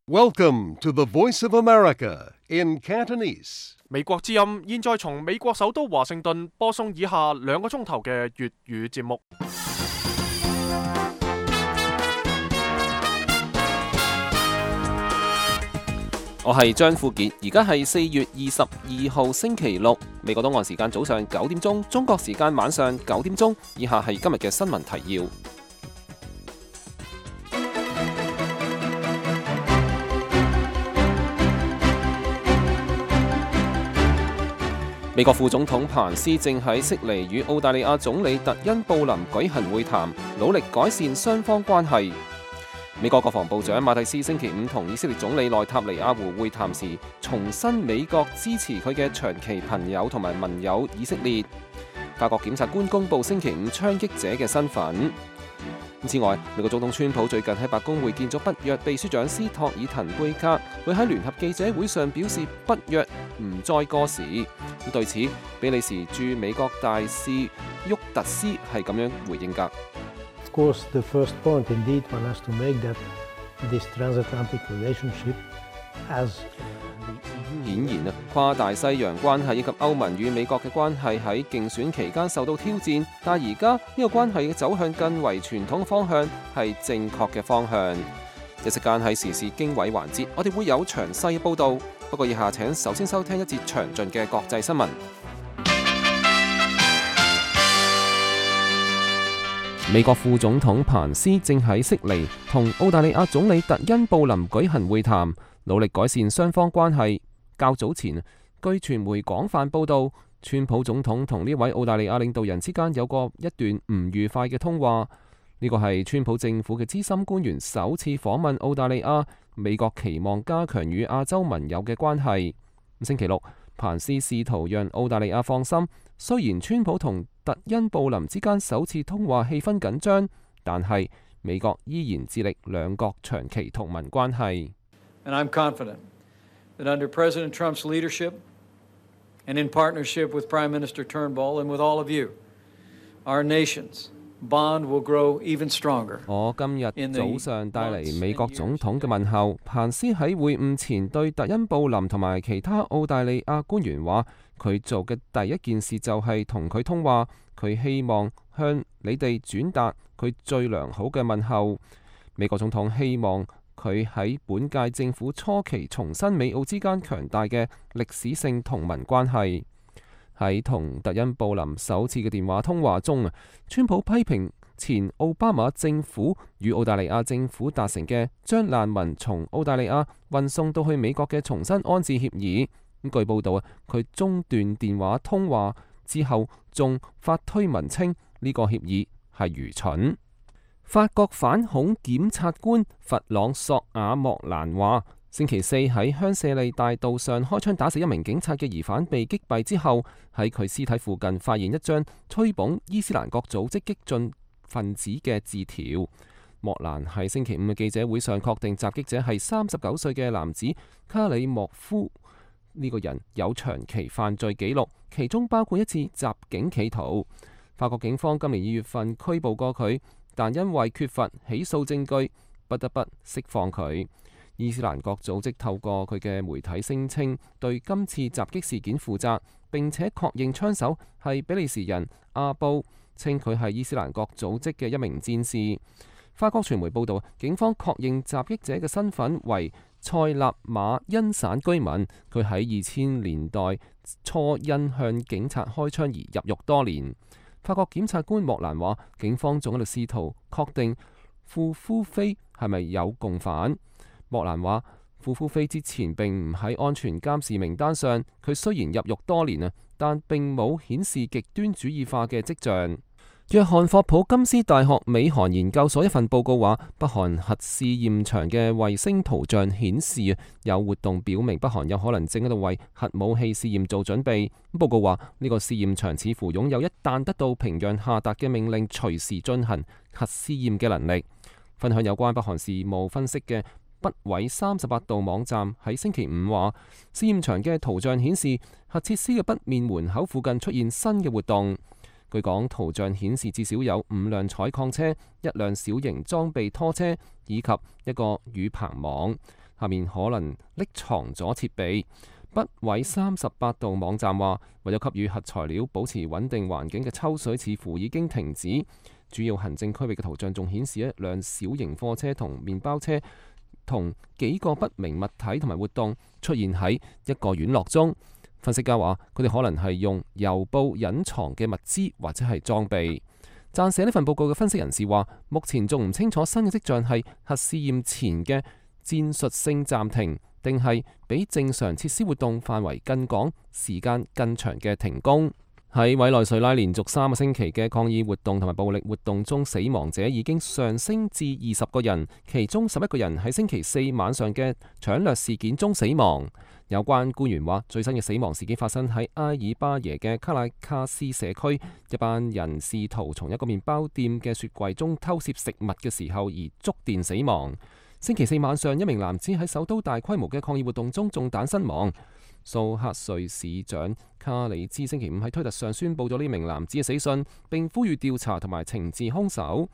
Welcome to the Voice of America in Cantonese. 美國之音現在從美國首都華盛頓播送以下2個鐘頭嘅粵語節目。我係張富傑，而家係4月22號星期六，美國東岸時間早上9點鐘，中國時間晚上9點鐘。以下係今日嘅新聞提要。美國副總統彭斯正喺悉尼與澳大利亞總理特恩布林舉行會談，努力改善雙方關係。美國國防部長馬蒂斯星期五同以色列總理內塔尼亞胡會談時，重申美國支持佢嘅長期朋友同埋盟友以色列。法國檢察官公布星期五槍擊者嘅身份。此外，美國總統川普最近喺白宮會見咗北約秘書長斯托爾滕貝格，佢喺聯合記者會上表示北約唔再過時。對此，比利時駐美國大使沃特斯係咁樣回應㗎。Of course, the first point indeed one has to make that this transatlantic relationship has 顯然跨大西洋關係以及歐盟與美國嘅關係喺競選期間受到挑戰，但而家呢個關係嘅走向更為傳統方向係正確嘅方向。一時間喺時事經緯環節，我哋會有詳細嘅報導。不過以下請首先收聽一節詳盡嘅國際新聞。美國副總統彭斯正喺悉尼同澳大利亞總理特恩布林舉行會談，努力改善雙方關係。較早前，據傳媒廣泛報導，川普總統同呢位澳大利亞領導人之間有過一段唔愉快嘅通話。呢個係川普政府嘅資深官員首次訪問澳大利亞。美國期望加強與亞洲盟友嘅關係。星期六，彭斯試圖讓澳大利亞放心，雖然川普同特恩布林之間首次通話氣氛緊張，但係美國依然致力兩國長期同盟關係。And I'm confident that under President Trump's leadership and in partnership with Prime Minister Turnbull and with all of you, our nations Bond will grow even stronger. 我今日早上帶嚟美國總統嘅問候。彭斯喺會晤前對特恩布林同埋其他澳大利亞官員話，佢做嘅第一件事就係同佢通話，佢希望向你哋轉達佢最良好嘅問候。美國總統希望佢喺本屆政府初期重申美澳之間強大嘅歷史性同盟關係。喺同特恩布林首次嘅電話通話中，川普批評前奧巴馬政府與澳大利亞政府達成嘅將難民從澳大利亞運送到去美國嘅重新安置協議。據報道佢中斷電話通話之後，仲發推文稱呢個協議係愚蠢。法國反恐檢察官弗朗索瓦莫蘭話，星期四喺香榭麗大道上開槍打死一名警察嘅疑犯被擊斃之後，喺佢屍體附近發現一張吹捧伊斯蘭國組織激進分子嘅字條。莫蘭喺星期五嘅記者會上確定襲擊者係39歲嘅男子卡里莫夫。呢個人有長期犯罪記錄，其中包括一次襲警企圖。法國警方今年2月份拘捕過佢，但因為缺乏起訴證據，不得不釋放佢。伊斯蘭國組織透過佢嘅媒體聲稱對今次襲擊事件負責，並且確認槍手係比利時人阿布，稱佢係伊斯蘭國組織嘅一名戰士。法國傳媒報道，警方確認襲擊者嘅身份為塞納馬恩省居民，佢喺2000年代初因向警察開槍而入獄多年。法國檢察官莫蘭話，警方仲喺度試圖確定庫夫菲係咪有共犯。莫蘭話，庫夫菲之前並唔喺安全監視名單上，佢雖然入獄多年但並冇顯示極端主義化嘅跡象。約翰霍普金斯大學美韓研究所一份報告話，北韓核試驗場嘅衛星圖像顯示有活動表明北韓有可能正喺度為核武器試驗做準備。報告話，呢個試驗場似乎擁有一旦得到平壤下達嘅命令隨時進行核試驗嘅能力。分享有關北韓事務分析嘅北緯38度網站喺星期五話，試驗場嘅圖像顯示核設施嘅北面門口附近出現新嘅活動。據講，圖像顯示至少有5輛採礦車、1輛小型裝備拖車以及一個雨棚網。下面可能匿藏咗設備。北緯38度網站話，為咗給予核材料保持穩定環境嘅抽水似乎已經停止。主要行政區域嘅圖像仲顯示一輛小型貨車同麵包車同幾個不明物體同埋活動出現喺一個院落中。分析家話，佢哋可能係用郵報隱藏嘅物資或者係裝備。撰寫呢份報告嘅分析人士話，目前仲唔清楚新嘅跡象係核試驗前嘅戰術性暫停，定係比正常設施活動範圍更廣、時間更長嘅停工。喺委內瑞拉連續3個星期嘅抗議活動同埋暴力活動中，死亡者已經上升至20個人，其中11個人喺星期4晚上嘅搶掠事件中死亡。有關官員話，最新嘅死亡事件發生喺埃爾巴耶嘅卡拉卡斯社區，一班人試圖從一個麵包店嘅雪櫃中偷竊食物嘅時候而觸電死亡。星期4晚上，一名男子喺首都大規模嘅抗議活動中中彈身亡。蘇克瑞市長卡里茲星期5喺推特上宣佈咗呢名男子嘅死訊，並呼籲調查同埋懲治兇手。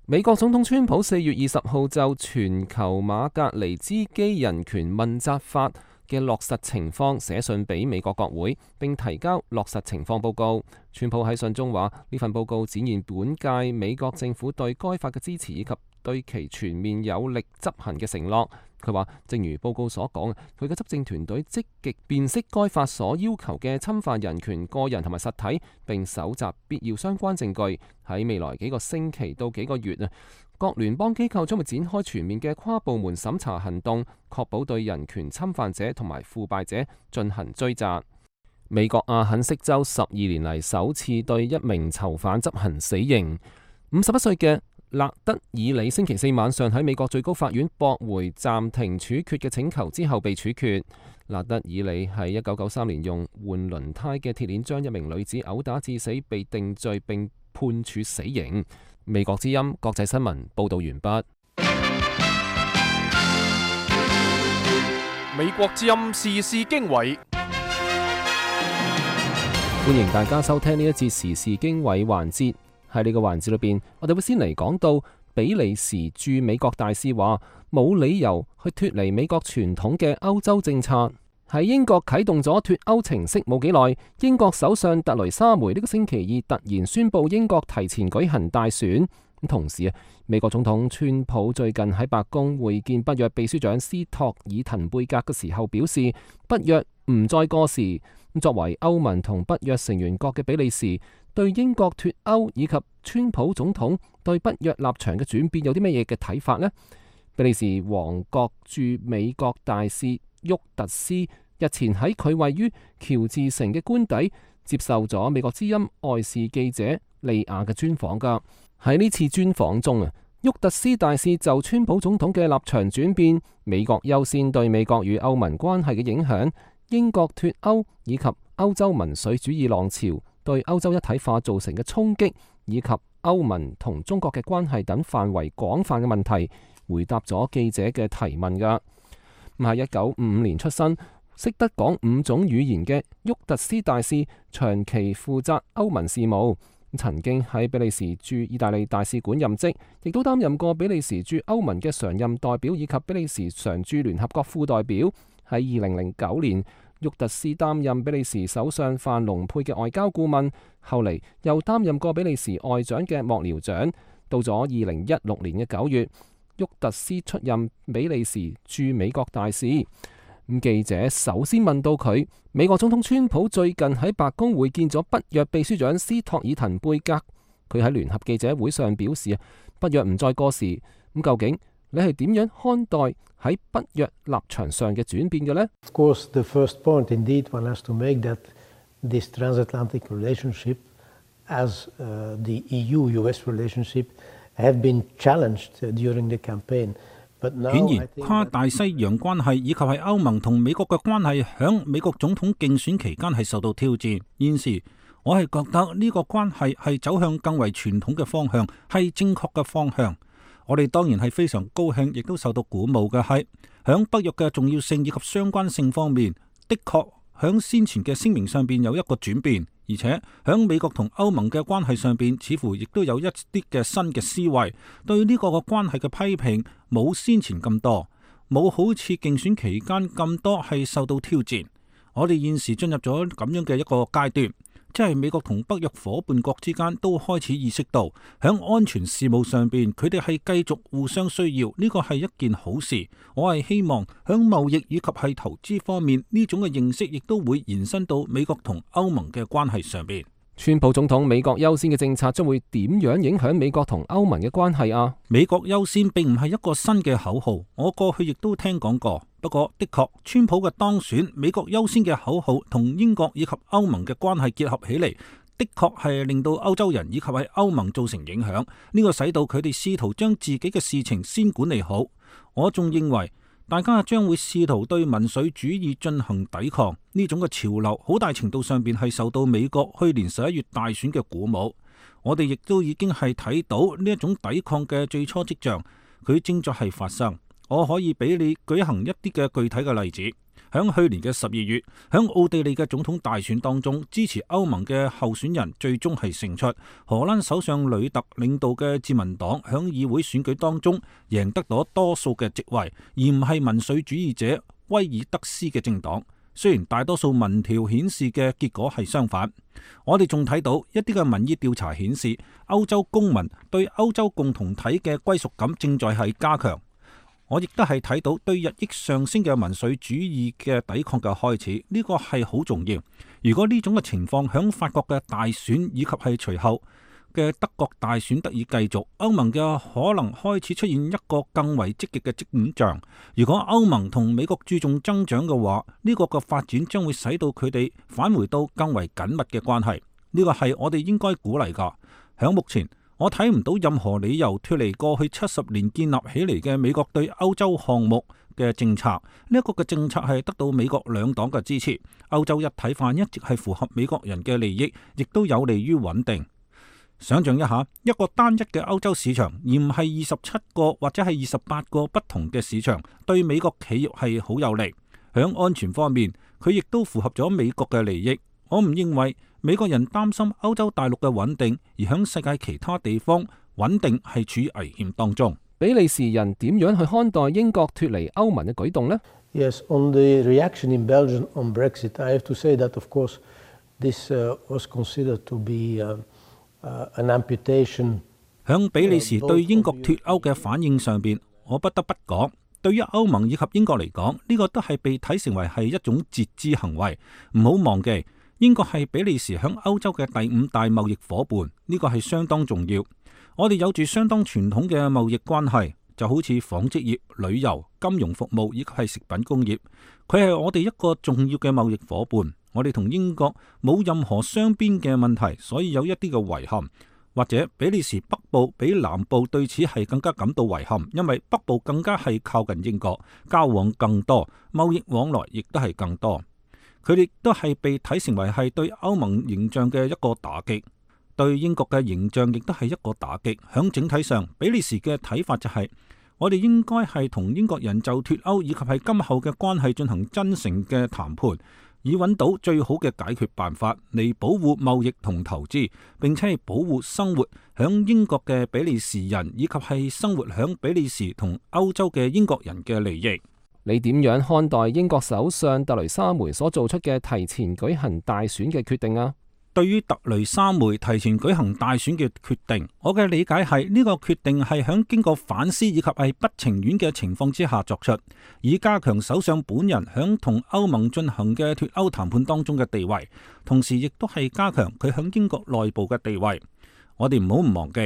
美國總統川普4月20號就全球馬格尼茲基人權問責法嘅落實情況寫信俾美國國會，並提交落實情況報告。川普喺信中話，呢份報告展現本屆美國政府對該法嘅支持以及對其全面有力執行嘅承諾。佢話，正如報告所講，佢嘅執政團隊積極辨識該法所要求嘅侵犯人權個人同埋實體，並搜集必要相關證據。喺未來幾個星期到幾個月各聯邦機構將會展開全面嘅跨部門審查行動，確保對人權侵犯者同埋腐敗者進行追責。美國阿肯色州12年嚟首次對一名囚犯執行死刑。51歲嘅勒德爾里星期4晚上喺美國最高法院駁回暫停處決嘅請求之後被處決。勒德爾里喺1993年用換輪胎嘅鐵鏈將一名女子毆打致死，被定罪並判處死刑。美國之音國際新聞報道完畢。美國之音時事經緯，歡迎大家收聽呢一節時事經緯環節。喺呢個環節裏邊，我哋會先嚟講到比利時駐美國大使話冇理由去脫離美國傳統嘅歐洲政策。喺英國啟動咗脫歐程式冇幾耐，英國首相特雷莎梅呢個星期二突然宣布英國提前舉行大選。同時美國總統川普最近喺白宮會見北約秘書長斯托爾滕貝格嘅時候表示，北約唔再過時。作為歐盟同北約成員國嘅比利時，對英國脫歐以及川普總統對北約立場嘅轉變有啲乜嘢嘅睇法呢？比利時王國駐美國大使沃特斯日前喺佢位於喬治城嘅官邸接受咗美國之音外事記者利亞嘅專訪㗎。喺呢次專訪中沃特斯大使就川普總統嘅立場轉變、美國優先對美國與歐盟關係嘅影響、英國脫歐以及歐洲民粹主義浪潮對歐洲一體化造成嘅衝擊，以及歐盟同中國嘅關係等範圍廣泛嘅問題，回答咗記者嘅提問㗎。喺1955年出生，識得講5種語言嘅沃特斯大使長期負責歐盟事務，曾經喺比利時駐意大利大使館任職，亦都擔任過比利時駐歐盟嘅常任代表以及比利時常駐聯合國副代表。喺2009年，沃特斯擔任比利時首相范龍佩嘅外交顧問，後嚟又擔任過比利時外長嘅幕僚長。到咗2016年嘅9月，沃特斯出任比利時駐美國大使。記者首先問到佢，美國總統川普最近喺白宮會見咗北約秘書長斯托爾滕貝格，佢喺聯合記者會上表示北約唔再過時。咁究竟你係點樣看待喺北約立場上嘅轉變嘅呢？ Of course, the first point indeed one has to make that this transatlantic relationship as the EU-US relationship have been challenged during the campaign. 顯然，跨大西洋關係以及係歐盟同美國嘅關係，響美國總統競選期間係受到挑戰。現時我係覺得呢個關係係走向更為傳統嘅方向，係正確嘅方向。我哋當然係非常高興，亦都受到鼓舞嘅係，響北約嘅重要性以及相關性方面，的確響先前嘅聲明上邊有一個轉變，而且響美國同歐盟嘅關係上邊，似乎亦都有一啲嘅新嘅思維，對呢個嘅關係嘅批評冇先前咁多。冇好似競選期間咁多係受到挑戰。我哋現時進入咗咁樣嘅一個階段，即係美國同北約夥伴國之間都開始意識到響安全事務上邊，佢哋係繼續互相需要，呢個係一件好事。我係希望響貿易以及係投資方面呢種嘅認識，亦都會延伸到美國同歐盟嘅關係上邊。川普總統美國優先嘅政策將會點樣影響美國同歐盟嘅關係啊？美國優先並唔係一個新嘅口號，我過去亦都聽講過。不過的確，川普嘅當選，美國優先嘅口號同英國以及歐盟嘅關係結合起嚟，的確係令到歐洲人以及係歐盟造成影響。呢個使到佢哋試圖將自己嘅事情先管理好。我仲認為大家將會試圖對民粹主義進行抵抗，呢種嘅潮流好大程度上邊係受到美國去年11月大選嘅鼓舞。我哋亦都已經係睇到呢一種抵抗嘅最初跡象，佢正在係發生。我可以俾你舉行一啲嘅具體嘅例子。響去年嘅12月，響奧地利嘅總統大選當中，支持歐盟嘅候選人最終係勝出。荷蘭首相呂特領導嘅自民黨響議會選舉當中贏得咗多數嘅席位，而唔係民粹主義者威爾德斯嘅政黨。雖然大多數民調顯示嘅結果係相反，我哋仲睇到一啲嘅民意調查顯示，歐洲公民對歐洲共同體嘅歸屬感正在係加強。我亦都係睇到對日益上升嘅民粹主義嘅抵抗嘅開始，呢個係好重要。如果呢種嘅情況響法國嘅大選以及係隨後嘅德國大選得以繼續，歐盟嘅可能開始出現一個更為積極嘅跡象。如果歐盟同美國注重增長嘅話，呢個嘅發展將會使到佢哋返回到更為緊密嘅關係。呢個係我哋應該鼓勵㗎。響目前，我睇唔到任何理由脫離過去70年建立起嚟嘅美國對歐洲項目嘅政策。呢一個嘅政策係得到美國兩黨嘅支持。歐洲一體化一直係符合美國人嘅利益，亦都有利於穩定。想象一下，一個單一嘅歐洲市場，而唔係27個或者係28個不同嘅市場，對美國企業係好有利。響安全方面，佢亦都符合咗美國嘅利益。我唔認為美國人擔心歐洲大陸嘅穩定，而響世界其他地方穩定係處於危險當中。比利時人點樣去看待英國脫離歐盟嘅舉動呢？ Yes, on the reaction in Belgium on Brexit, I have to say that, of course, this was considered to be an amputation. 響比利時對英國脫歐嘅反應上邊，我不得不講，對於歐盟以及英國嚟講，呢個都係被睇成為係一種截肢行為。唔好忘記，英國係比利時響歐洲嘅第5大貿易伙伴，呢個係相當重要。我哋有住相當傳統嘅貿易關係，就好似紡織業、旅遊、金融服務以及係食品工業，佢係我哋一個重要嘅貿易伙伴。我哋同英國冇任何雙邊嘅問題，所以有一啲嘅遺憾。或者比利時北部比南部對此係更加感到遺憾，因為北部更加係靠近英國，交往更多，貿易往來亦都係更多。佢哋都係被睇成為係對歐盟形象嘅一個打擊，對英國嘅形象亦都係一個打擊。響整體上，比利時嘅睇法就係，我哋應該係同英國人就脫歐以及係今後嘅關係進行真誠嘅談判，以揾到最好嘅解決辦法嚟保護貿易同投資，並且係保護生活響英國嘅比利時人以及係生活響比利時同歐洲嘅英國人嘅利益。你點樣看待英國首相特雷莎梅所做出嘅提前舉行大選嘅決定啊？對於特雷莎梅提前舉行大選嘅決定，我嘅理解係呢個決定係響經過反思以及係不情願嘅情況之下作出，以加強首相本人響同歐盟進行嘅脫歐談判當中嘅地位，同時亦都係加強佢響英國內部嘅地位。我哋唔好唔忘記，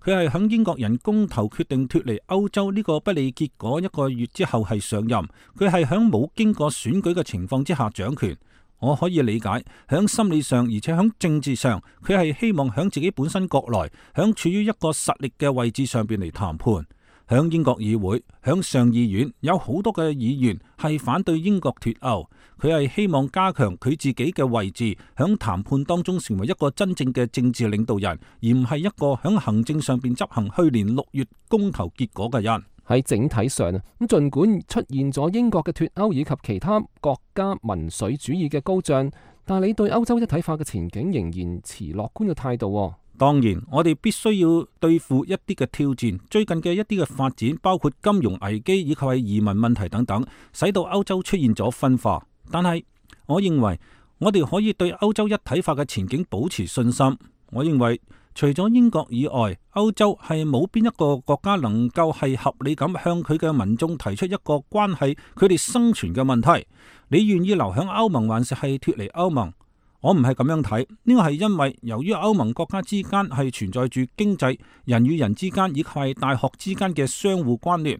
佢係響英國人公投決定脫離歐洲呢個不利結果1個月之後係上任，佢係響冇經過選舉嘅情況之下掌權。我可以理解，響心理上而且響政治上，佢係希望響自己本身國內，響處於一個實力嘅位置上邊嚟談判。響英國議會，響上議院有好多嘅議員係反對英國脫歐，佢係希望加強佢自己嘅位置，響談判當中成為一個真正嘅政治領導人，而唔係一個響行政上邊執行去年6月公投結果嘅人。喺整體上啊，咁儘管出現咗英國嘅脫歐以及其他國家民粹主義嘅高漲，但你對歐洲一體化嘅前景仍然持樂觀嘅態度。當然，我哋必須要對付一啲嘅挑戰，最近嘅一啲嘅發展，包括金融危機以及係移民問題等等，使到歐洲出現咗分化。但係，我認為我哋可以對歐洲一體化嘅前景保持信心。我認為除咗英國以外，歐洲係冇邊一個國家能夠係合理咁向佢嘅民眾提出一個關係佢哋生存嘅問題。你願意留響歐盟，還是係脫離歐盟？我唔係咁樣睇，呢個係因為由於歐盟國家之間係存在住經濟、人與人之間以及係大學之間嘅相互關聯，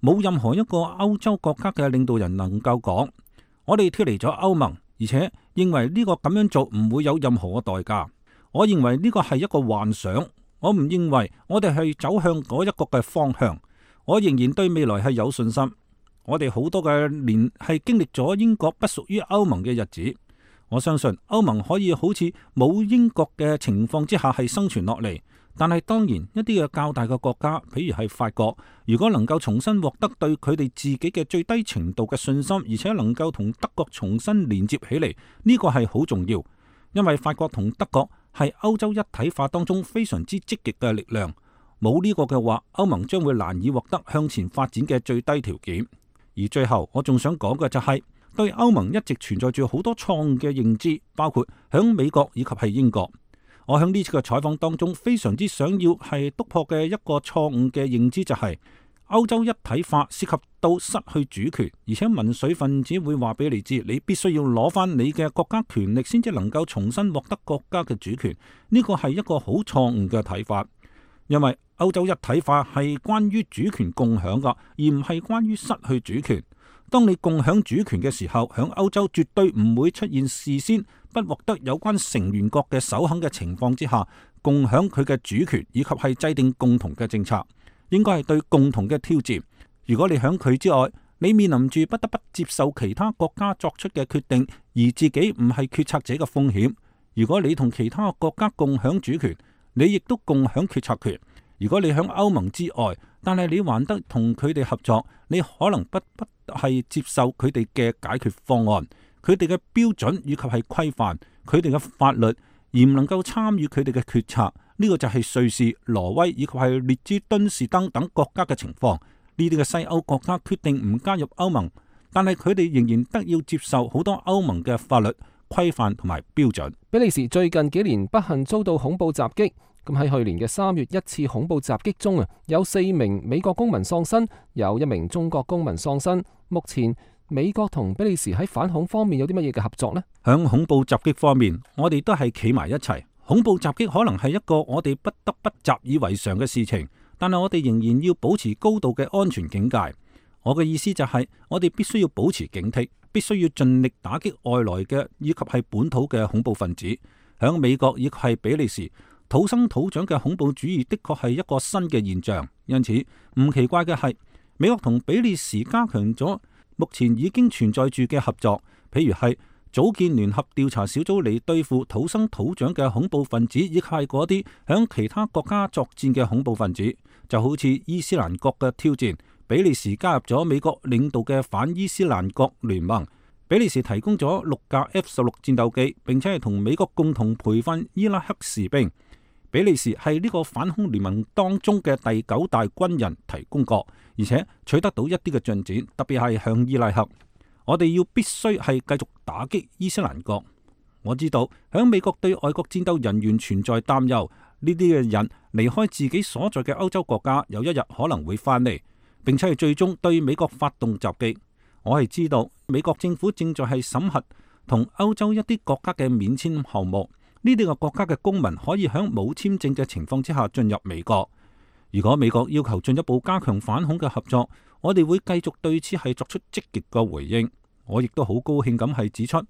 冇任何一個歐洲國家嘅領導人能夠講我哋脫離咗歐盟，而且認為呢個咁樣做唔會有任何嘅代價。我認為呢個係一個幻想，我唔認為我哋係走向嗰一個嘅方向。我仍然對未來係有信心。我哋好多嘅年係經歷咗英國不屬於歐盟嘅日子。我相信歐盟可以好似冇英國嘅情況之下係生存落嚟，但係當然一啲嘅較大嘅國家，譬如係法國，如果能夠重新獲得對佢哋自己嘅最低程度嘅信心，而且能夠同德國重新連接起嚟，呢個係好重要，因為法國同德國係歐洲一體化當中非常之積極嘅力量，冇呢個嘅話，歐盟將會難以獲得向前發展嘅最低條件。而最後我仲想講嘅就係，對歐盟一直存在住好多錯誤嘅認知，包括響美國以及係英國。我響呢次嘅採訪當中，非常之想要係突破嘅一個錯誤嘅認知就係，歐洲一體化涉及到失去主權，而且民粹分子會話俾你知，你必須要攞翻你嘅國家權力先至能夠重新獲得國家嘅主權。呢個係一個好錯誤嘅睇法，因為歐洲一體化係關於主權共享噶，而唔係關於失去主權。當你共享主權嘅時候，響歐洲絕對唔會出現事先不獲得有關成員國嘅首肯嘅情況之下，共享佢嘅主權以及係制定共同嘅政策，應該係對共同嘅挑戰。如果你響佢之外，你面臨住不得不接受其他國家作出嘅決定，而自己唔係決策者嘅風險。如果你同其他國家共享主權，你亦都共享決策權。如果你響歐盟之外，但係你還得同佢哋合作，你可能不係接受佢哋嘅解決方案，佢哋嘅標準以及係規範，佢哋嘅法律，而唔能夠參與佢哋嘅決策。呢個就係瑞士、挪威以及係列支敦士登等國家嘅情況。呢啲嘅西歐國家決定唔加入歐盟，但係佢哋仍然得要接受好多歐盟嘅法律規範同埋標準。比利時最近幾年不幸遭到恐怖襲擊。咁喺去年嘅3月一次恐怖襲擊中有4名美國公民喪生，有1名中國公民喪生。目前美國同比利時喺反恐方面有啲乜嘢嘅合作呢？響恐怖襲擊方面，我哋都係企埋一齊。恐怖襲擊可能係一個我哋不得不習以為常嘅事情，但係我哋仍然要保持高度嘅安全警戒。我嘅意思就係，我哋必須要保持警惕，必須要盡力打擊外來嘅以及係本土嘅恐怖分子。響美國以及係比利時，土生土長嘅恐怖主義的確係一個新嘅現象，因此唔奇怪嘅係，美國同比利時加強咗目前已經存在住嘅合作，譬如係組建聯合調查小組嚟對付土生土長嘅恐怖分子，以及係嗰啲響其他國家作戰嘅恐怖分子，就好似伊斯蘭國嘅挑戰，比利時加入咗美國領導嘅反伊斯蘭國聯盟。比利時提供咗6架 F-16戰鬥機，並且係同美國共同培訓伊拉克士兵。比利時係呢個反恐聯盟當中嘅第9大軍人提供國，而且取得到一啲嘅進展，特別係向伊拉克。我哋要必須係繼續打擊伊斯蘭國。我知道響美國對外國戰鬥人員存在擔憂，呢啲嘅人離開自己所在嘅歐洲國家，有一日可能會翻嚟，並且係最終對美國發動襲擊。我係知道美國政府正在係審核同歐洲一啲國家嘅免簽項目。呢啲個國家嘅公民可以喺冇簽證嘅情況之下進入美國。如果美國要求進一步加強反恐嘅合作，我哋會繼續對此係作出積極嘅回應。我亦都好高興咁係指出，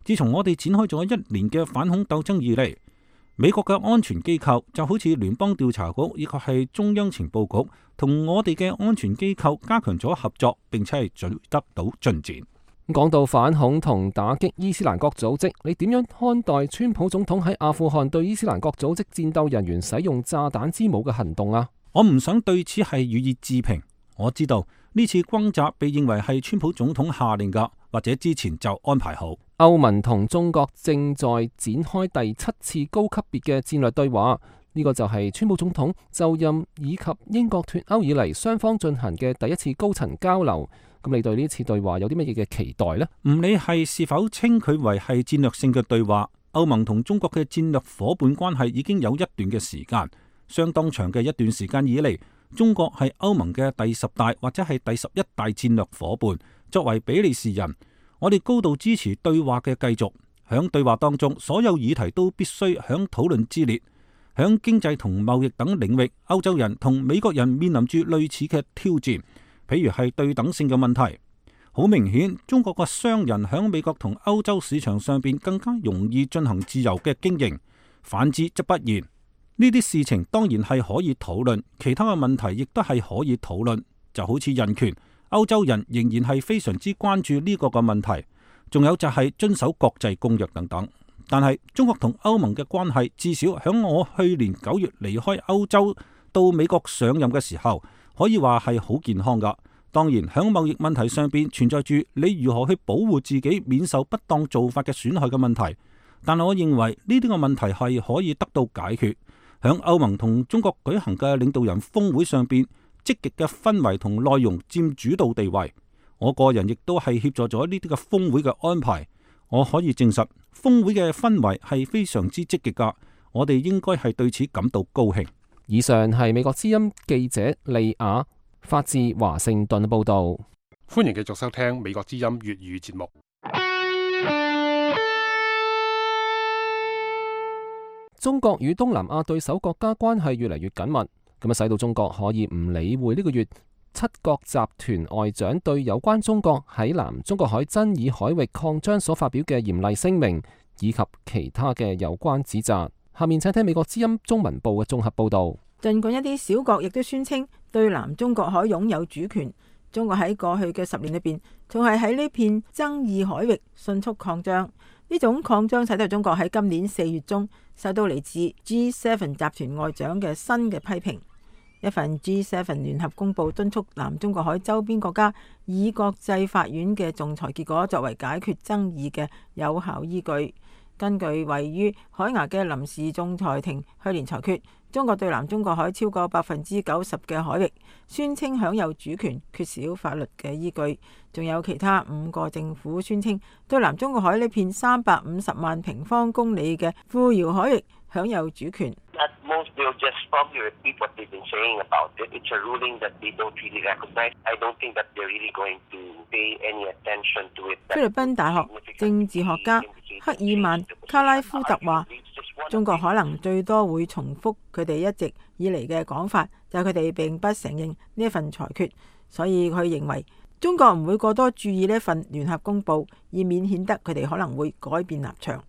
自從我哋展開咗1年嘅反恐鬥爭以嚟，美國嘅安全機構就好似聯邦調查局以及係中央情報局，同我哋嘅安全機構加強咗合作，並且係取得到進展。講到反恐同打擊伊斯蘭國組織，你點樣看待川普總統喺阿富汗對伊斯蘭國組織戰鬥人員使用炸彈之母嘅行動啊？我唔想對此係予以置評。我知道呢次轟炸被認為係川普總統下令㗎，或者之前就安排好。歐盟同中國正在展開第7次高級別嘅戰略對話，呢個就係川普總統就任以及英國脫歐以嚟雙方進行嘅第1次高層交流。咁你對呢次對話有啲乜嘢嘅期待呢？唔理係是否稱佢為係戰略性嘅對話，歐盟同中國嘅戰略夥伴關係已經有一段嘅時間，相當長嘅一段時間以嚟，中國係歐盟嘅第10大或者係第11大戰略夥伴。作為比利時人，我哋高度支持對話嘅繼續。響對話當中，所有議題都必須響討論之列。響經濟同貿易等領域，歐洲人同美國人面臨住類似嘅挑戰，譬如係對等性嘅問題。好明顯，中國嘅商人響美國同歐洲市場上邊更加容易進行自由嘅經營，反之則不然。呢啲事情當然係可以討論，其他嘅問題亦都係可以討論，就好似人權，歐洲人仍然係非常之關注呢個嘅問題，仲有就係遵守國際公約等等。但係中國同歐盟嘅關係，至少響我去年9月離開歐洲到美國上任嘅時候，可以話係好健康噶。當然響貿易問題上邊存在住你如何去保護自己免受不當做法嘅損害嘅問題，但係我認為呢啲個問題係可以得到解決。響歐盟同中國舉行嘅領導人峰會上邊，積極嘅氛圍同內容佔主導地位。我個人亦都係協助咗呢啲嘅峰會嘅安排。我可以證實，峰會嘅氛圍係非常之積極噶，我哋應該係對此感到高興。以上係美國之音記者利亞發自華盛頓報道。歡迎繼續收聽美國之音粵語節目。中國與東南亞對手國家關係越嚟越緊密，咁啊使到中國可以唔理會呢個月7國集團外長對有關中國喺南中國海爭議海域擴張所發表嘅嚴厲聲明，以及其他嘅有關指責。下面請聽美國之音中文部嘅綜合報道。儘管一啲小國亦都宣稱對南中國海擁有主權，中國喺過去嘅10年裏邊，仲係喺呢片爭議海域迅速擴張。呢種擴張使到中國喺今年4月中受到嚟自 G7 集團外長嘅新嘅批評。一份 G7 聯合公報敦促南中國海周邊國家以國際法院嘅仲裁結果作為解決爭議嘅有效依據。根據位於海牙嘅臨時仲裁庭去年裁決，中國對南中國海超過90%嘅海域宣稱享有主權，缺少法律嘅依據。仲有其他5個政府宣稱對南中國海呢片350萬平方公里嘅富饒海域享有主權。菲律賓大學政治學家克爾曼卡拉夫特話，中國可能最多會重複佢哋一直以嚟嘅講法，就係佢哋並不承認呢一份裁決，所以佢認為中國唔會過多注意呢一份聯合公報，以免顯得佢哋可能會改變立場。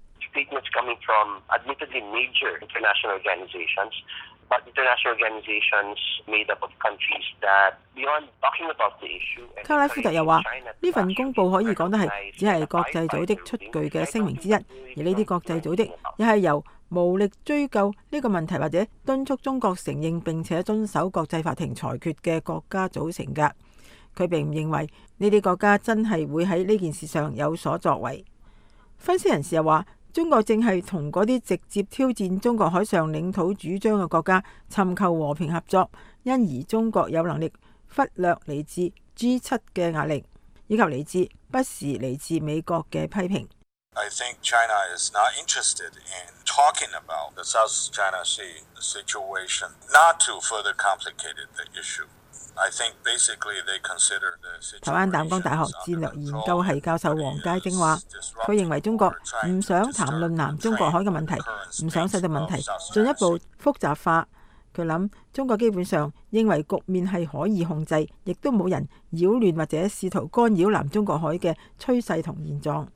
卡拉夫特又話，呢份公報可以講得係只係國際組織出具嘅聲明之一，而呢啲國際組織又係由無力追究呢個問題或者敦促中國承認並且遵守國際法庭裁決嘅國家組成㗎。佢並唔認為呢啲國家真係會喺呢件事上有所作為。分析人士又話，中國正係同嗰啲直接挑戰中國海上領土主張嘅國家尋求和平合作，因而中國有能力忽略嚟自 G7 嘅壓力，以及嚟自不時嚟自美國嘅批評。I think China is not interested in talking about the South China Sea situation, not to further complicate the issue. 台灣淡江大學戰略研究系教授黃佳晶話，佢認為中國唔想談論南中國海嘅問題，唔想使到問題進一步複雜化。佢諗中國基本上認為局面係可以控制，亦都冇人擾亂或者試圖干擾南中國海嘅趨勢同現狀。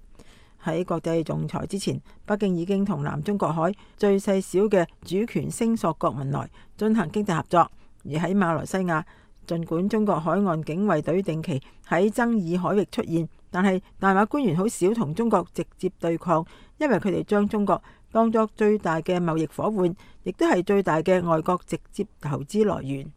喺國際仲裁之前，北京已經同南中國海最細小嘅主權聲索國文萊進行經濟合作，而喺馬來西亞，儘管中國海岸警衛隊定期喺爭議海域出現，但係大馬官員好少同中國直接對抗，因為佢哋將中國當作最大嘅貿易夥伴，亦都係最大嘅外國直接投資來源。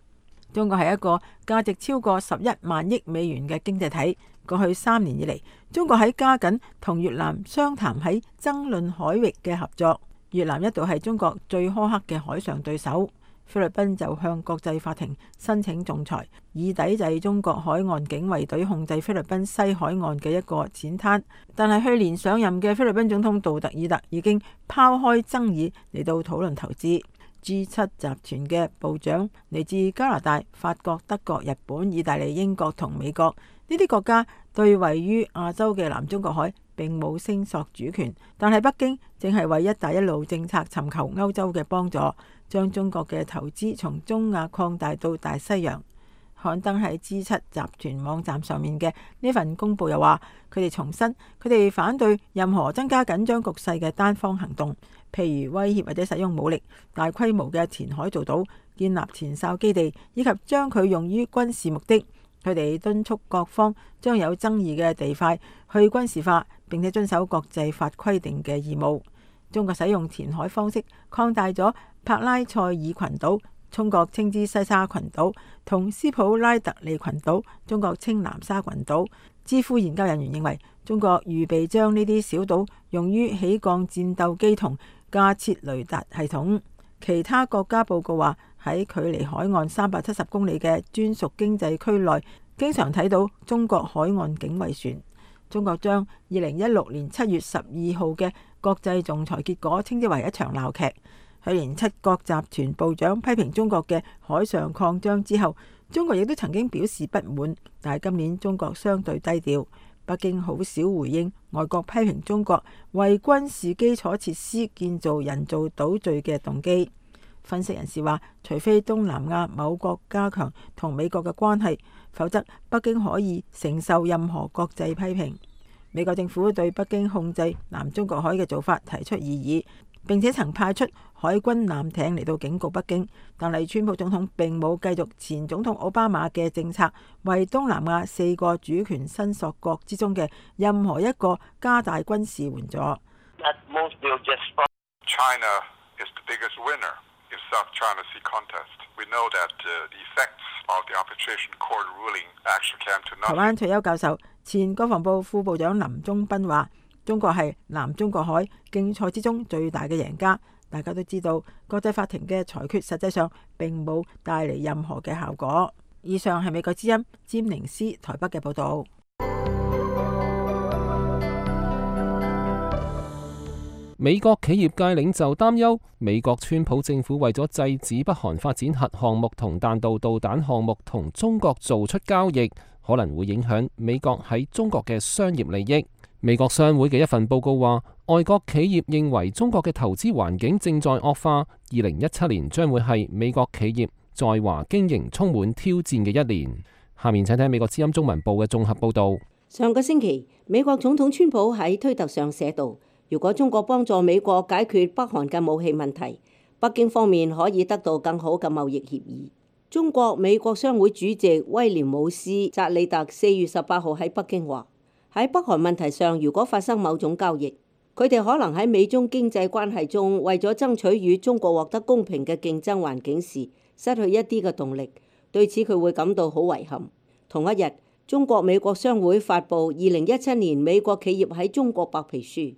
中國係一個價值超過11萬億美元嘅經濟體。過去3年以嚟，中國喺加緊同越南商談喺爭論海域嘅合作。越南一度係中國最苛刻嘅海上對手。菲律賓就向國際法庭申請仲裁，以抵制中國海岸警衛隊控制菲律賓西海岸嘅一個淺灘。但係去年上任嘅菲律賓總統杜特爾特已經拋開爭議嚟到討論投資。G7 集團嘅部長嚟自加拿大、法國、德國、日本、意大利、英國同美國。呢啲國家對位於亞洲嘅南中國海並冇聲索主權，但係北京正係為一帶一路政策尋求歐洲嘅幫助，將中國嘅投資從中亞擴大到大西洋。刊登喺 G7 集團網站上面嘅呢份公佈又話，佢哋重申佢哋反對任何增加緊張局勢嘅單方行動，譬如威脅或者使用武力、大規模嘅填海造島、建立前哨基地，以及將佢用於軍事目的。佢哋敦促各方將有爭議嘅地塊去軍事化，並且遵守國際法規定嘅義務。中國使用填海方式擴大咗帕拉塞爾群島，中國稱之西沙群島，同斯普拉特利群島，中國稱南沙群島。智庫研究人員認為，中國預備將呢啲小島用於起降戰鬥機同架設雷達系統。其他國家報告話，喺距離海岸370公里嘅專屬經濟區內，經常睇到中國海岸警衛船。中國將2016年7月12號嘅國際仲裁結果稱之為一場鬧劇。去年7國集團部長批評中國嘅海上擴張之後，中國亦都曾經表示不滿，但係今年中國相對低調。北京好少回應外國批評中國為軍事基礎設施建造人造島嶼嘅動機。分析人士話，除非東南亞某國加強同美國嘅關係，否則北京可以承受任何國際批評。美國政府對北京控制南中國海嘅做法提出異議，並且曾派出海軍艦艇嚟到警告北京。但係川普總統並冇繼續前總統奧巴馬嘅政策，為東南亞4個主權伸索國之中嘅任何一個加大軍事援助。South China Sea contest. We know that the effects of the arbitration court ruling actually came to nothing. 台灣退休教授、前國防部副部長林忠斌話：中國係南中國海競賽之中最大嘅贏家。大家都知道，國際法庭嘅裁決實際上並冇帶嚟任何嘅效果。以上係美國之音詹寧斯台北嘅報導。美國企業界領袖擔憂，美國川普政府為咗制止北韓發展核項目同彈道導彈項目同中國做出交易，可能會影響美國喺中國嘅商業利益。美國商會嘅一份報告話，外國企業認為中國嘅投資環境正在惡化，2017年將會係美國企業在華經營充滿挑戰嘅一年。下面請聽美國之音中文部嘅綜合報導。上個星期，美國總統川普喺推特上寫道：如果中國幫助美國解決北韓嘅武器問題，北京方面可以得到更好嘅貿易協議。中國美國商會主席威廉姆斯扎里特4月18號喺北京話：喺北韓問題上，如果發生某種交易，佢哋可能喺美中經濟關係中為咗爭取與中國獲得公平嘅競爭環境時，失去一啲嘅動力。對此佢會感到好遺憾。同一日，中國美國商會發布2017年美國企業喺中國白皮書，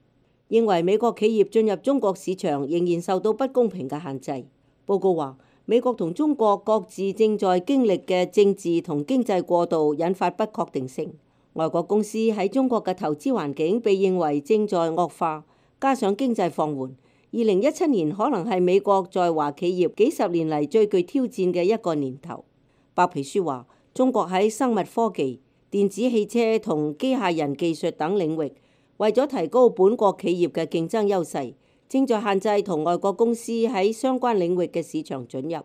認為美國企業進入中國市場仍然受到不公平嘅限制。報告話，美國同中國各自正在經歷嘅政治同經濟過渡引發不確定性。外國公司喺中國嘅投資環境被認為正在惡化，加上經濟放緩，2017年可能係美國在華企業幾十年嚟最具挑戰嘅一個年頭。白皮書話，中國喺生物科技、電子汽車同機械人技術等領域，為咗提高本國企業嘅競爭優勢，正在限制同外國公司喺相關領域嘅市場准入。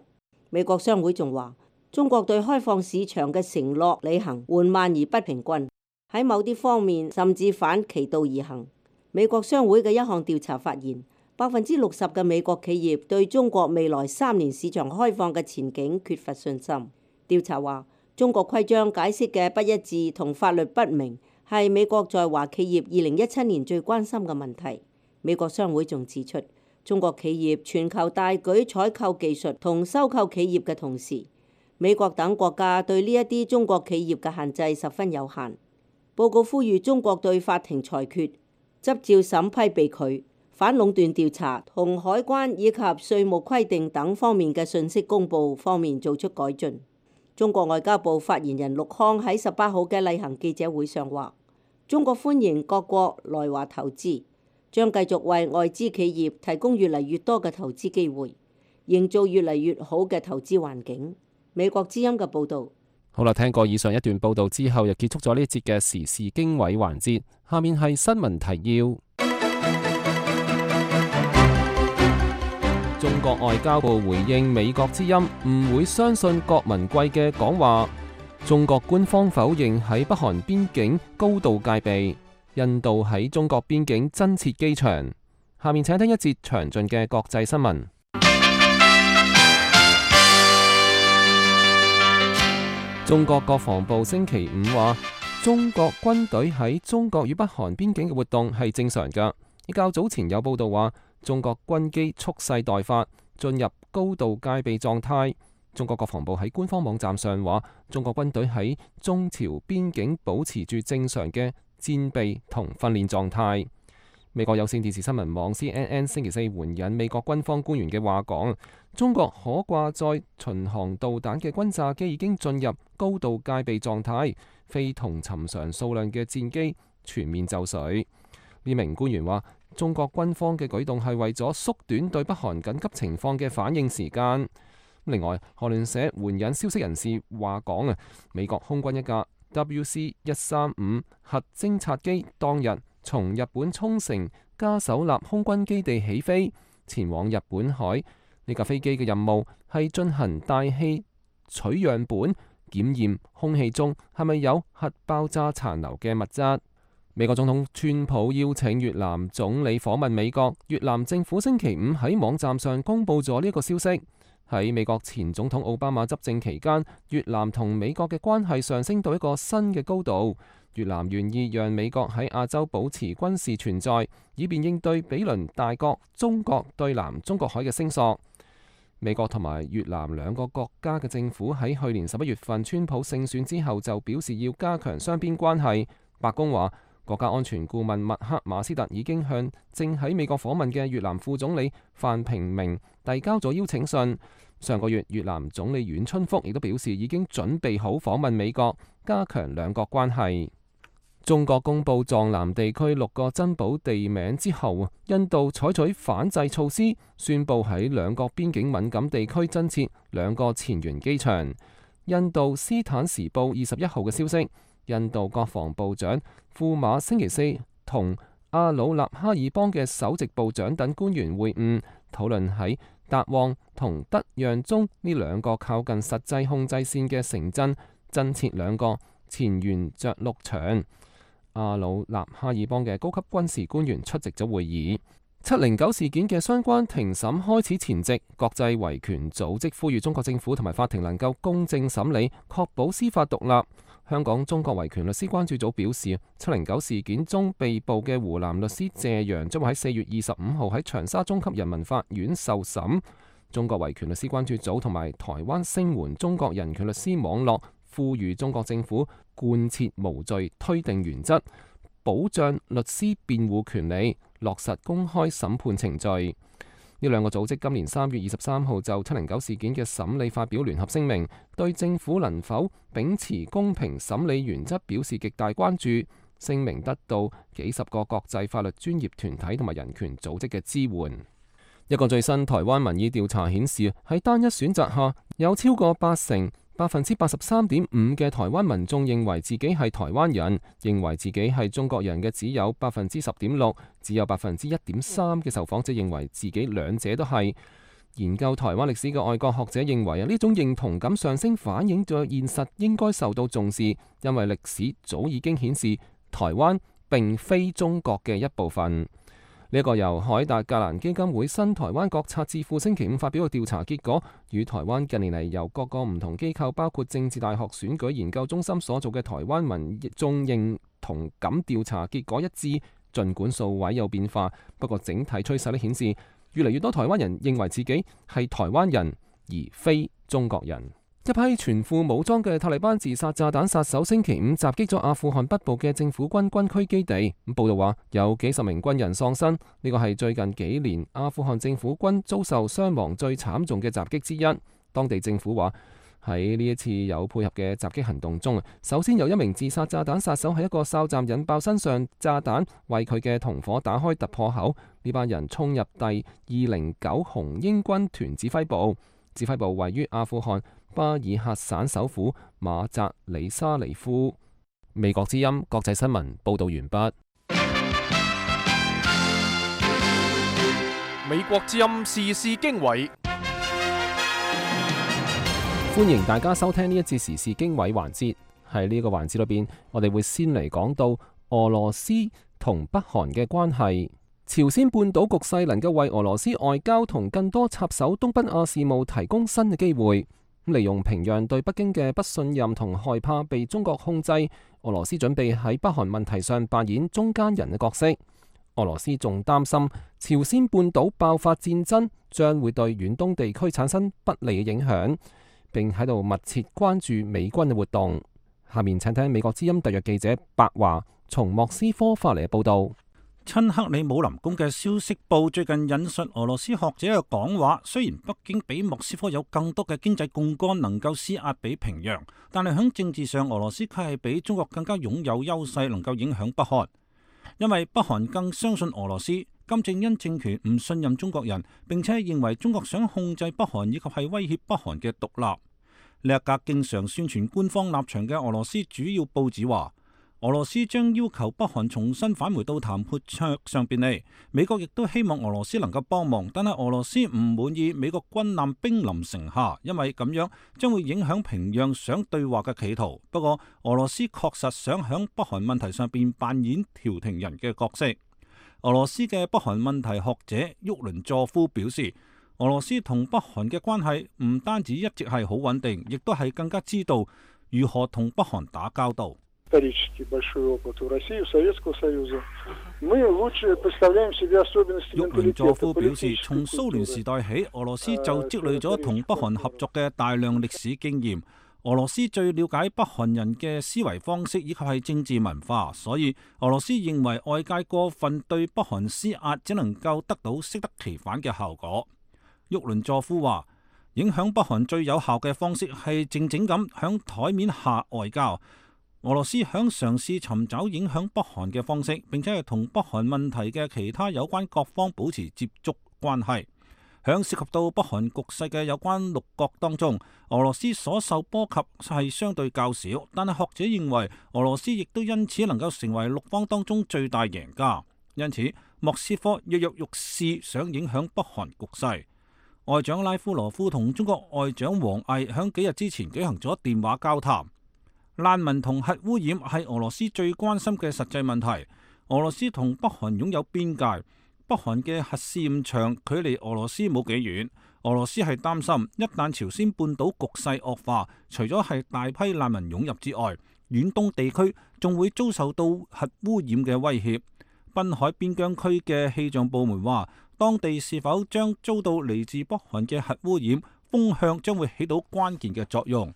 美國商會仲話，中國對開放市場嘅承諾履行緩慢而不平均，喺某啲方面甚至反其道而行。美國商會嘅一項調查發現，60%嘅美國企業對中國未來3年市場開放嘅前景缺乏信心。調查話，中國規章解釋嘅不一致同法律不明係美國在華企業2017年最關心嘅問題。美國商會仲指出，中國企業全球大舉採購技術同收購企業嘅同時，美國等國家對呢一啲中國企業嘅限制十分有限。報告呼籲中國對法庭裁決、執照審批被拒、反壟斷調查同海關以及稅務規定等方面嘅信息公佈方面做出改進。中國外交部發言人陸康喺18號嘅例行記者會上話，中國歡迎各國來華投資，將繼續為外資企業提供越嚟越多嘅投資機會，營造越嚟越好嘅投資環境。美國之音嘅報導。好啦，聽過以上一段報導之後，又結束咗呢一節嘅時事經緯環節。下面係新聞提要。中國外交部回應美國之音唔會相信郭文貴嘅講話。中國官方否認喺北韓邊境高度戒備。印度喺中國邊境增設機場。下面請聽一節詳盡嘅國際新聞。中國國防部星期五話，中國軍隊喺中國與北韓邊境嘅活動係正常㗎。較早前有報道話，中國軍機蓄勢待發，進入高度戒備狀態。中國國防部喺官方網站上話，中國軍隊喺中朝邊境保持住正常嘅戰備同訓練狀態。美國有線電視新聞網 CNN 星期四援引美國軍方官員嘅話講，中國可掛載巡航導彈嘅轟炸機已經進入高度戒備狀態，非同尋常數量嘅戰機全面就緒。呢名官員話，中國軍方嘅舉動係為咗縮短對北韓緊急情況嘅反應時間。另外，韓聯社援引消息人士話講，美國空軍一架 WC-135 核偵察機當日從日本沖繩嘉手納空軍基地起飛，前往日本海。呢架飛機嘅任務係進行大氣取樣本，檢驗空氣中係咪有核爆炸殘留嘅物質。美國總統川普邀請越南總理訪問美國，越南政府星期五喺網站上公布咗呢個消息。喺美國前總統奧巴馬執政期間，越南同美國嘅關係上升到一個新嘅高度。越南願意讓美國喺亞洲保持軍事存在，以便應對比鄰大國中國對南中國海嘅聲索。美國同埋越南兩個國家嘅政府喺去年11月份川普勝選之後就表示要加強雙邊關係。白宮話，國家安全顧問麥克馬斯特已經向正喺美國訪問嘅越南副總理范平明遞交咗邀請信。上個月，越南總理阮春福亦都表示已經準備好訪問美國，加強兩國關係。中國公布藏南地區6個珍寶地名之後，印度採取反制措施，宣布喺兩國邊境敏感地區增設2個前沿機場。印度斯坦時報21號嘅消息，印度國防部長庫馬星期四同阿魯納哈爾邦嘅首席部長等官員會晤，討論喺達旺同德讓中呢2個靠近實際控制線嘅城鎮增設2個前沿着陸場。阿魯納哈爾邦嘅高級軍事官員出席咗會議。709事件嘅相關庭審開始前夕，國際維權組織呼籲中國政府同埋法庭能夠公正審理，確保司法獨立。香港中國維權律師關注組表示，709事件中被捕嘅湖南律師謝陽將會喺4月25號喺長沙中級人民法院受審。中國維權律師關注組同埋台灣聲援中國人權律師網絡呼籲中國政府貫徹無罪推定原則，保障律師辯護權利，落實公開審判程序。呢2個組織今年3月23號就709事件嘅審理發表聯合聲明，對政府能否秉持公平審理原則表示極大關注。聲明得到幾十個國際法律專業團體同埋人權組織嘅支援。一個最新台灣民意調查顯示，喺單一選擇下，有超過83.5% 嘅台灣民眾認為自己係台灣人，認為自己係中國人嘅只有10.6%，只有1.3%嘅受訪者認為自己兩者都係。研究台灣歷史嘅外國學者認為呢種認同感上升反映咗現實應該受到重視，因為歷史早已經顯示台灣並非中國嘅一部分。呢一個由海達格蘭基金會新台灣國策智庫星期五發表嘅調查結果，與台灣近年嚟由各個唔同機構，包括政治大學選舉研究中心所做嘅台灣民眾認同感調查結果一致。儘管數位有變化，不過整體趨勢都顯示，越嚟越多台灣人認為自己係台灣人，而非中國人。一批全副武裝嘅塔利班自殺炸彈殺手星期五襲擊咗阿富汗北部嘅政府軍軍區基地。報道話有幾十名軍人喪生，呢個係最近幾年阿富汗政府軍遭受傷亡最慘重嘅襲擊之一。當地政府話喺呢一次有配合嘅襲擊行動中，首先有一名自殺炸彈殺手喺一個哨站引爆身上炸彈，為佢嘅同伙打開突破口。呢班人衝入第209紅鷹軍團指揮部，指揮部位於阿富汗巴爾喀省首府馬扎里沙尼夫。美國之音國際新聞報道完畢。美國之音時事經緯，歡迎大家收聽呢一節時事經緯環節。喺呢個環節裏邊，我哋會先嚟講到俄羅斯同北韓嘅關係。朝鮮半島局勢能夠為俄羅斯外交同更多插手東北亞事務提供新嘅機會。利用平壤對北京嘅不信任同害怕被中國控制，俄羅斯準備喺北韓問題上扮演中間人嘅角色。俄羅斯仲擔心朝鮮半島爆發戰爭將會對遠東地區產生不利嘅影響，並喺度密切關注美軍嘅活動。下面請聽美國之音特約記者白華從莫斯科發嚟嘅報道。親克里姆林宮嘅消息報最近引述俄羅斯學者嘅講話，雖然北京比莫斯科有更多嘅經濟槓桿能夠施壓俾平壤，但係喺政治上俄羅斯卻係比中國更加擁有優勢，能夠影響北韓。因為北韓更相信俄羅斯，金正恩政權唔信任中國人，並且認為中國想控制北韓以及係威脅北韓嘅獨立。呢一格經常宣傳官方立場嘅俄羅斯主要報紙話，俄羅斯將要求北韓重新返回到談判桌上邊嚟。美國亦都希望俄羅斯能夠幫忙，但係俄羅斯唔滿意美國軍艦兵臨城下，因為咁樣將會影響平壤想對話嘅企圖。不過俄羅斯確實想響北韓問題上邊扮演調停人嘅角色。俄羅斯嘅北韓問題學者沃倫佐夫表示，俄羅斯同北韓嘅關係唔單止一直係好穩定，亦都係更加知道如何同北韓打交道。沃倫佐夫表示，從蘇聯時代起，俄羅斯就積累咗同北韓合作嘅大量歷史經驗。俄羅斯最了解北韓人嘅思維方式以及係政治文化，所以俄羅斯認為外界過分對北韓施壓，只能夠得到適得其反嘅效果。沃倫佐夫話，影響北韓最有效嘅方式係靜靜咁響台面下外交。俄羅斯響嘗試尋找影響北韓嘅方式，並且係同北韓問題嘅其他有關各方保持接觸關係。響涉及到北韓局勢嘅有關6國當中，俄羅斯所受波及係相對較少，但係學者認為俄羅斯亦都因此能夠成為6方當中最大贏家。因此，莫斯科躍躍欲試想影響北韓局勢。外長拉夫羅夫同中國外長王毅響幾日之前舉行咗電話交談。難民同核污染係俄羅斯最關心嘅實際問題。俄羅斯同北韓擁有邊界，北韓嘅核試驗場距離俄羅斯冇幾遠。俄羅斯係擔心一旦朝鮮半島局勢惡化，除咗係大批難民湧入之外，遠東地區仲會遭受到核污染嘅威脅。濱海邊疆區嘅氣象部門話，當地是否將遭到嚟自北韓嘅核污染，風向將會起到關鍵嘅作用。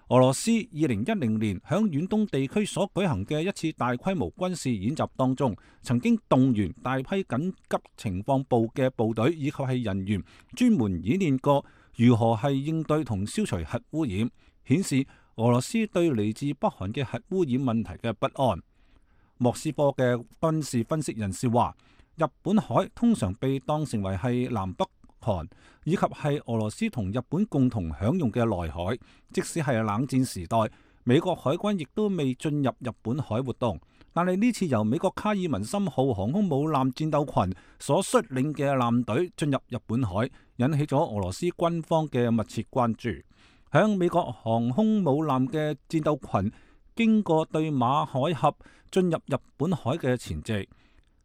俄羅斯2010年響遠東地區所舉行嘅一次大規模軍事演習當中，曾經動員大批緊急情況部嘅部隊以及係人員，專門演練過如何係應對同消除核污染，顯示俄羅斯對嚟自北韓嘅核污染問題嘅不安。莫斯科嘅軍事分析人士話，日本海通常被當成為係南北韓以及係俄羅斯同日本共同享用嘅內海，即使係冷戰時代，美國海軍亦都未進入日本海活動。但係呢次由美國卡爾文森號航空母艦戰鬥群所率領嘅艦隊進入日本海，引起咗俄羅斯軍方嘅密切關注。響美國航空母艦嘅戰鬥群經過對馬海峽進入日本海嘅前夕，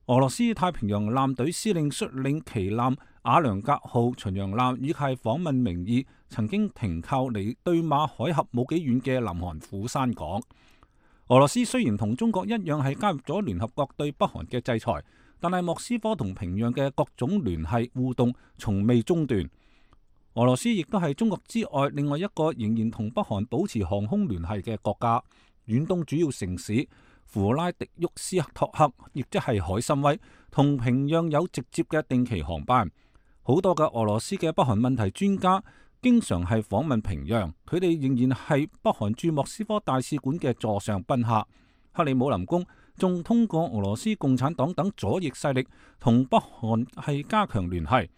俄羅斯太平洋艦隊司令率領旗艦瓦良格號巡洋艦以及訪問名義曾經停靠離對馬海峽冇幾遠嘅南韓釜山港。俄羅斯雖然同中國一樣係加入咗聯合國對北韓嘅制裁，但係莫斯科同平壤嘅各種聯繫互動從未中斷。俄羅斯亦都係中國之外另外一個仍然同北韓保持航空聯繫嘅國家。遠東主要城市弗拉迪沃斯托克，亦即係海參崴，同平壤有直接嘅定期航班。好多嘅俄羅斯嘅北韓問題專家經常係訪問平壤，佢哋仍然係北韓駐莫斯科大使館嘅座上賓客。克里姆林宮仲通過俄羅斯共產黨等左翼勢力同北韓係加強聯繫。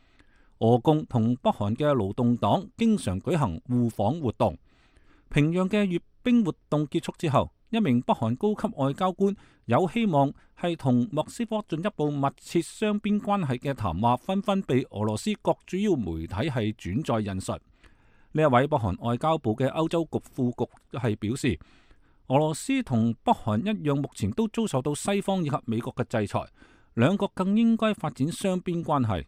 俄共同北韓嘅勞動黨經常舉行互訪活動。平壤嘅閱兵活動結束之後，一名北韓高級外交官有希望係同莫斯科進一步密切雙邊關係嘅談話，紛紛被俄羅斯各主要媒體係轉載引述。呢一位北韓外交部嘅歐洲局副局係表示，俄羅斯同北韓一樣，目前都遭受到西方以及美國嘅制裁，兩國更應該發展雙邊關係。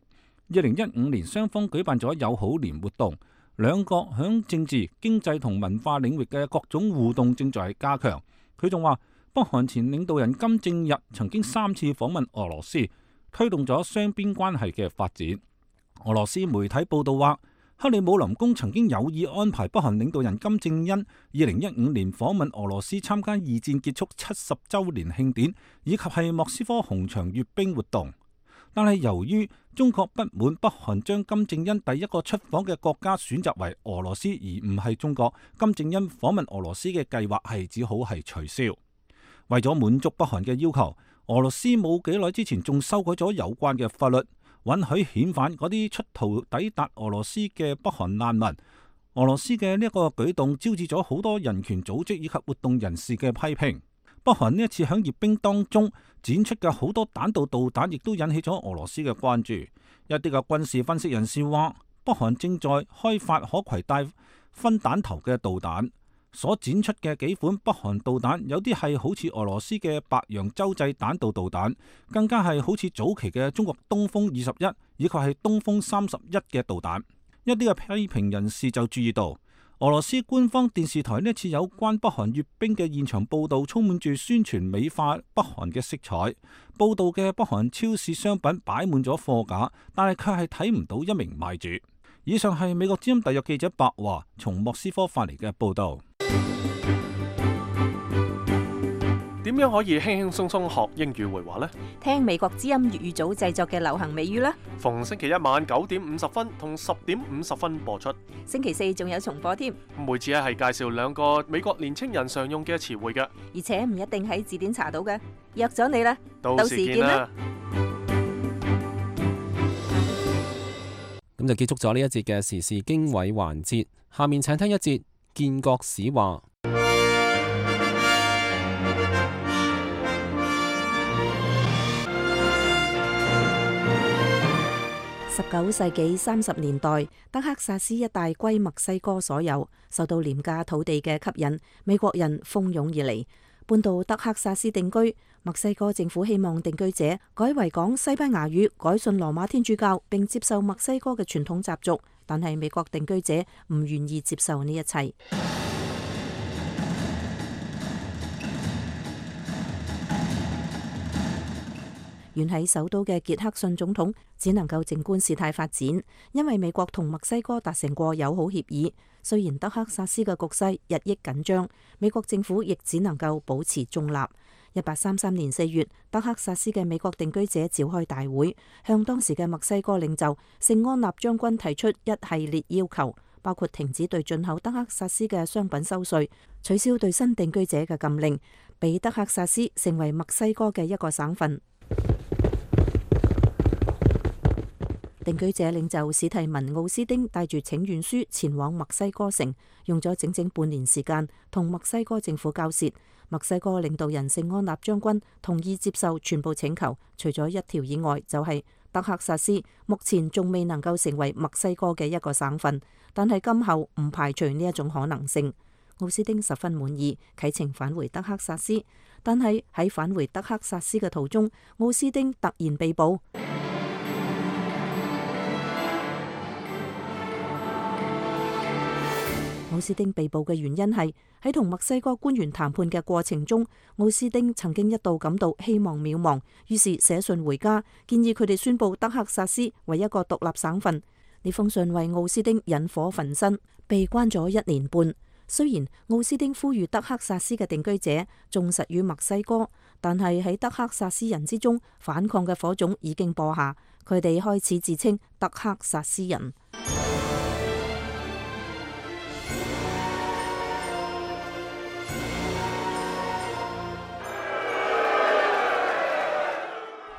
2015年雙方舉辦咗友好年活動，兩國響政治、經濟同文化領域嘅各種互動正在加強。佢仲話，北韓前領導人金正日曾經3次訪問俄羅斯，推動咗雙邊關係嘅發展。俄羅斯媒體報道話，克里姆林宮曾經有意安排北韓領導人金正恩2015年訪問俄羅斯參加二戰結束70週年慶典，以及係莫斯科紅場閱兵活動。但係由於中國不滿北韓將金正恩第一個出訪嘅國家選擇為俄羅斯而唔係中國，金正恩訪問俄羅斯嘅計劃係只好係取消。為咗滿足北韓嘅要求，俄羅斯冇幾耐之前仲修改咗有關嘅法律，允許遣返嗰啲出逃抵達俄羅斯嘅北韓難民。俄羅斯嘅呢一個舉動招致咗好多人權組織以及活動人士嘅批評。北韓呢一次喺閱兵當中展出嘅好多彈道導彈，亦都引起咗俄羅斯嘅關注。一啲嘅軍事分析人士話，北韓正在開發可攜帶分彈頭嘅導彈，所展出嘅幾款北韓導彈，有啲係好似俄羅斯嘅白楊洲際彈道導彈，更加係好似早期嘅中國東風21以及係東風31嘅導彈。一啲嘅批評人士就注意到，俄羅斯官方電視台呢次有關北韓閱兵嘅現場報導，充滿住宣傳美化北韓嘅色彩。報導嘅北韓超市商品擺滿咗貨架，但係卻係睇唔到一名賣主。以上係美國之音特約記者白華從莫斯科發嚟嘅報導。點樣可以輕輕鬆鬆學英語會話呢？聽美國之音粵語組製作嘅流行美語啦！逢星期一晚9點50分同10點50分播出，星期四仲有重播添。每次係介紹2個美國年青人常用嘅詞彙嘅，而且唔一定喺字典查到嘅。約咗你啦，到時見啦！咁就結束咗呢一節嘅時事經緯環節，下面請聽一節建國史話。19世紀30年代，德克薩斯一帶歸墨西哥所有，受到廉價土地嘅吸引，美國人蜂擁而嚟，搬到德克薩斯定居。墨西哥政府希望定居者改為講西班牙語，改信羅馬天主教，並接受墨西哥嘅傳統習俗，但係美國定居者唔願意接受呢一切。遠喺首都嘅傑克遜總統只能夠靜觀事態發展，因為美國同墨西哥達成過友好協議。雖然德克薩斯嘅局勢日益緊張，美國政府亦只能夠保持中立。1833年4月，德克薩斯嘅美國定居者召開大會，向當時嘅墨西哥領袖聖安納將軍提出一系列要求，包括停止對進口德克薩斯嘅商品收稅，取消對新定居者嘅禁令，俾德克薩斯成為墨西哥嘅一個省份。定居者領袖史提文奧斯丁帶住請願書前往墨西哥城，用咗整整半年時間同墨西哥政府交涉。墨西哥領導人聖安納將軍同意接受全部請求，除咗一條以外，就係德克薩斯目前仲未能夠成為墨西哥嘅一個省份，但係今後唔排除呢一種可能性。奧斯丁十分滿意，啟程返回德克薩斯，但係喺返回德克薩斯嘅途中，奧斯丁突然被捕。奧斯丁被捕嘅原因係喺同墨西哥官員談判嘅過程中，奧斯丁曾經一度感到希望渺茫，於是寫信回家，建議佢哋宣布德克薩斯為一個獨立省份。呢封信為奧斯丁引火焚身，被關咗1年半。雖然奧斯丁呼籲德克薩斯嘅定居者忠實於墨西哥，但係喺德克薩斯人之中，反抗嘅火種已經播下，佢哋開始自稱德克薩斯人。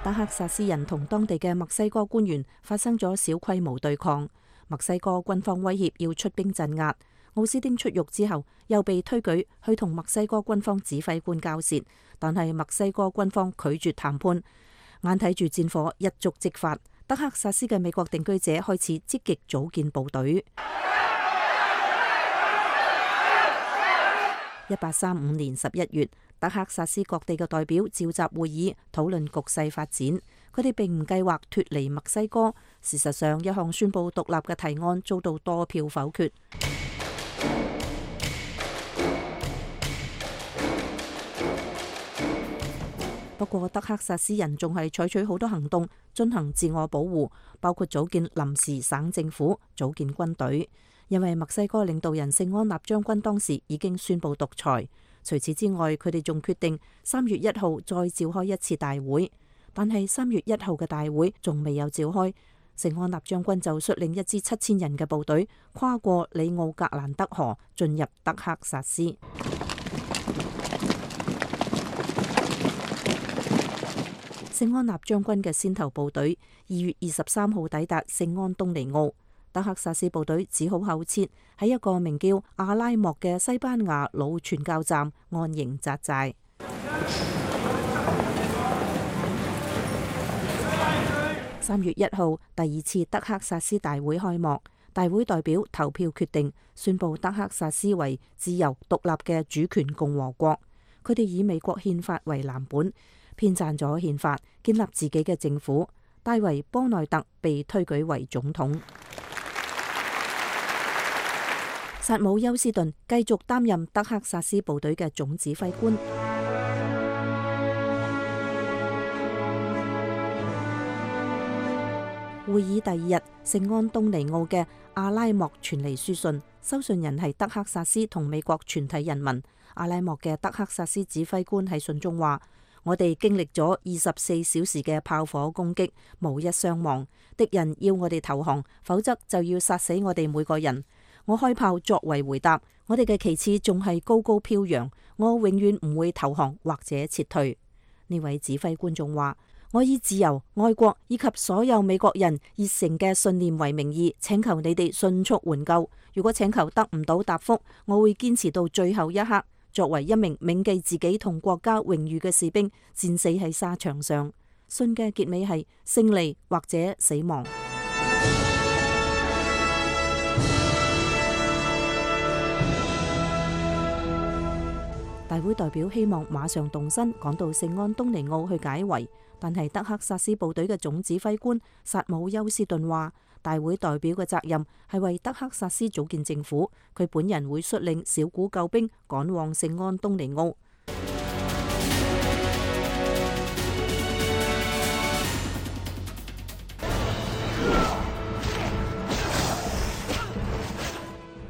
德克薩斯人同當地嘅墨西哥官員發生咗小規模對抗，墨西哥軍方威脅要出兵鎮壓。奧斯丁出獄之後，又被推舉去同墨西哥軍方指揮官交涉，但係墨西哥軍方拒絕談判，眼睇住戰火一觸即發，德克薩斯嘅美國定居者開始積極組建部隊。1835年11月，德克薩斯各地嘅代表召集會議，討論局勢發展。佢哋並唔計劃脫離墨西哥。事實上，一項宣布獨立嘅提案遭到多票否決。不過，德克薩斯人仲係採取好多行動進行自我保護，包括組建臨時省政府、組建軍隊。因為墨西哥領導人聖安納將軍當時已經宣布獨裁。除此之外，佢哋仲決定3月1號再召開一次大會。但係3月1號嘅大會仲未有召開，聖安納將軍就率領一支7000人嘅部隊跨過里奧格蘭德河，進入德克薩斯。聖安納將軍嘅先頭部隊2月23號抵達聖安東尼奧。德克薩斯部隊只好後撤，喺一個名叫阿拉莫嘅西班牙老傳教站安營紮寨。3月1號，第2次德克薩斯大會開幕，大會代表投票決定宣布德克薩斯為自由獨立嘅主權共和國。佢哋以美國憲法為藍本，編撰咗憲法，建立自己嘅政府。戴維·波內特被推舉為總統。薩姆·休斯頓繼續擔任德克薩斯部隊嘅總指揮官。會議第2日，聖安東尼奧嘅阿拉莫傳嚟書信，收信人係德克薩斯同美國全體人民。阿拉莫嘅德克薩斯指揮官喺信中話：我哋經歷咗24小時嘅炮火攻擊，無一傷亡。敵人要我哋投降，否則就要殺死我哋每個人。我開炮作為回答，我哋嘅旗幟仲係高高飄揚，我永遠唔會投降或者撤退。呢位指揮官仲話：我以自由、愛國以及所有美國人熱誠嘅信念為名義，請求你哋迅速援救。如果請求得唔到答覆，我會堅持到最後一刻。作為一名銘記自己同國家榮譽嘅士兵，戰死喺沙場上。信嘅結尾係勝利或者死亡。大會代表希望馬上動身趕到聖安東尼奧去解圍，但係德克薩斯部隊嘅總指揮官薩姆休斯頓話，大會代表嘅責任係為德克薩斯組建政府，佢本人會率領小股救兵趕往聖安東尼奧。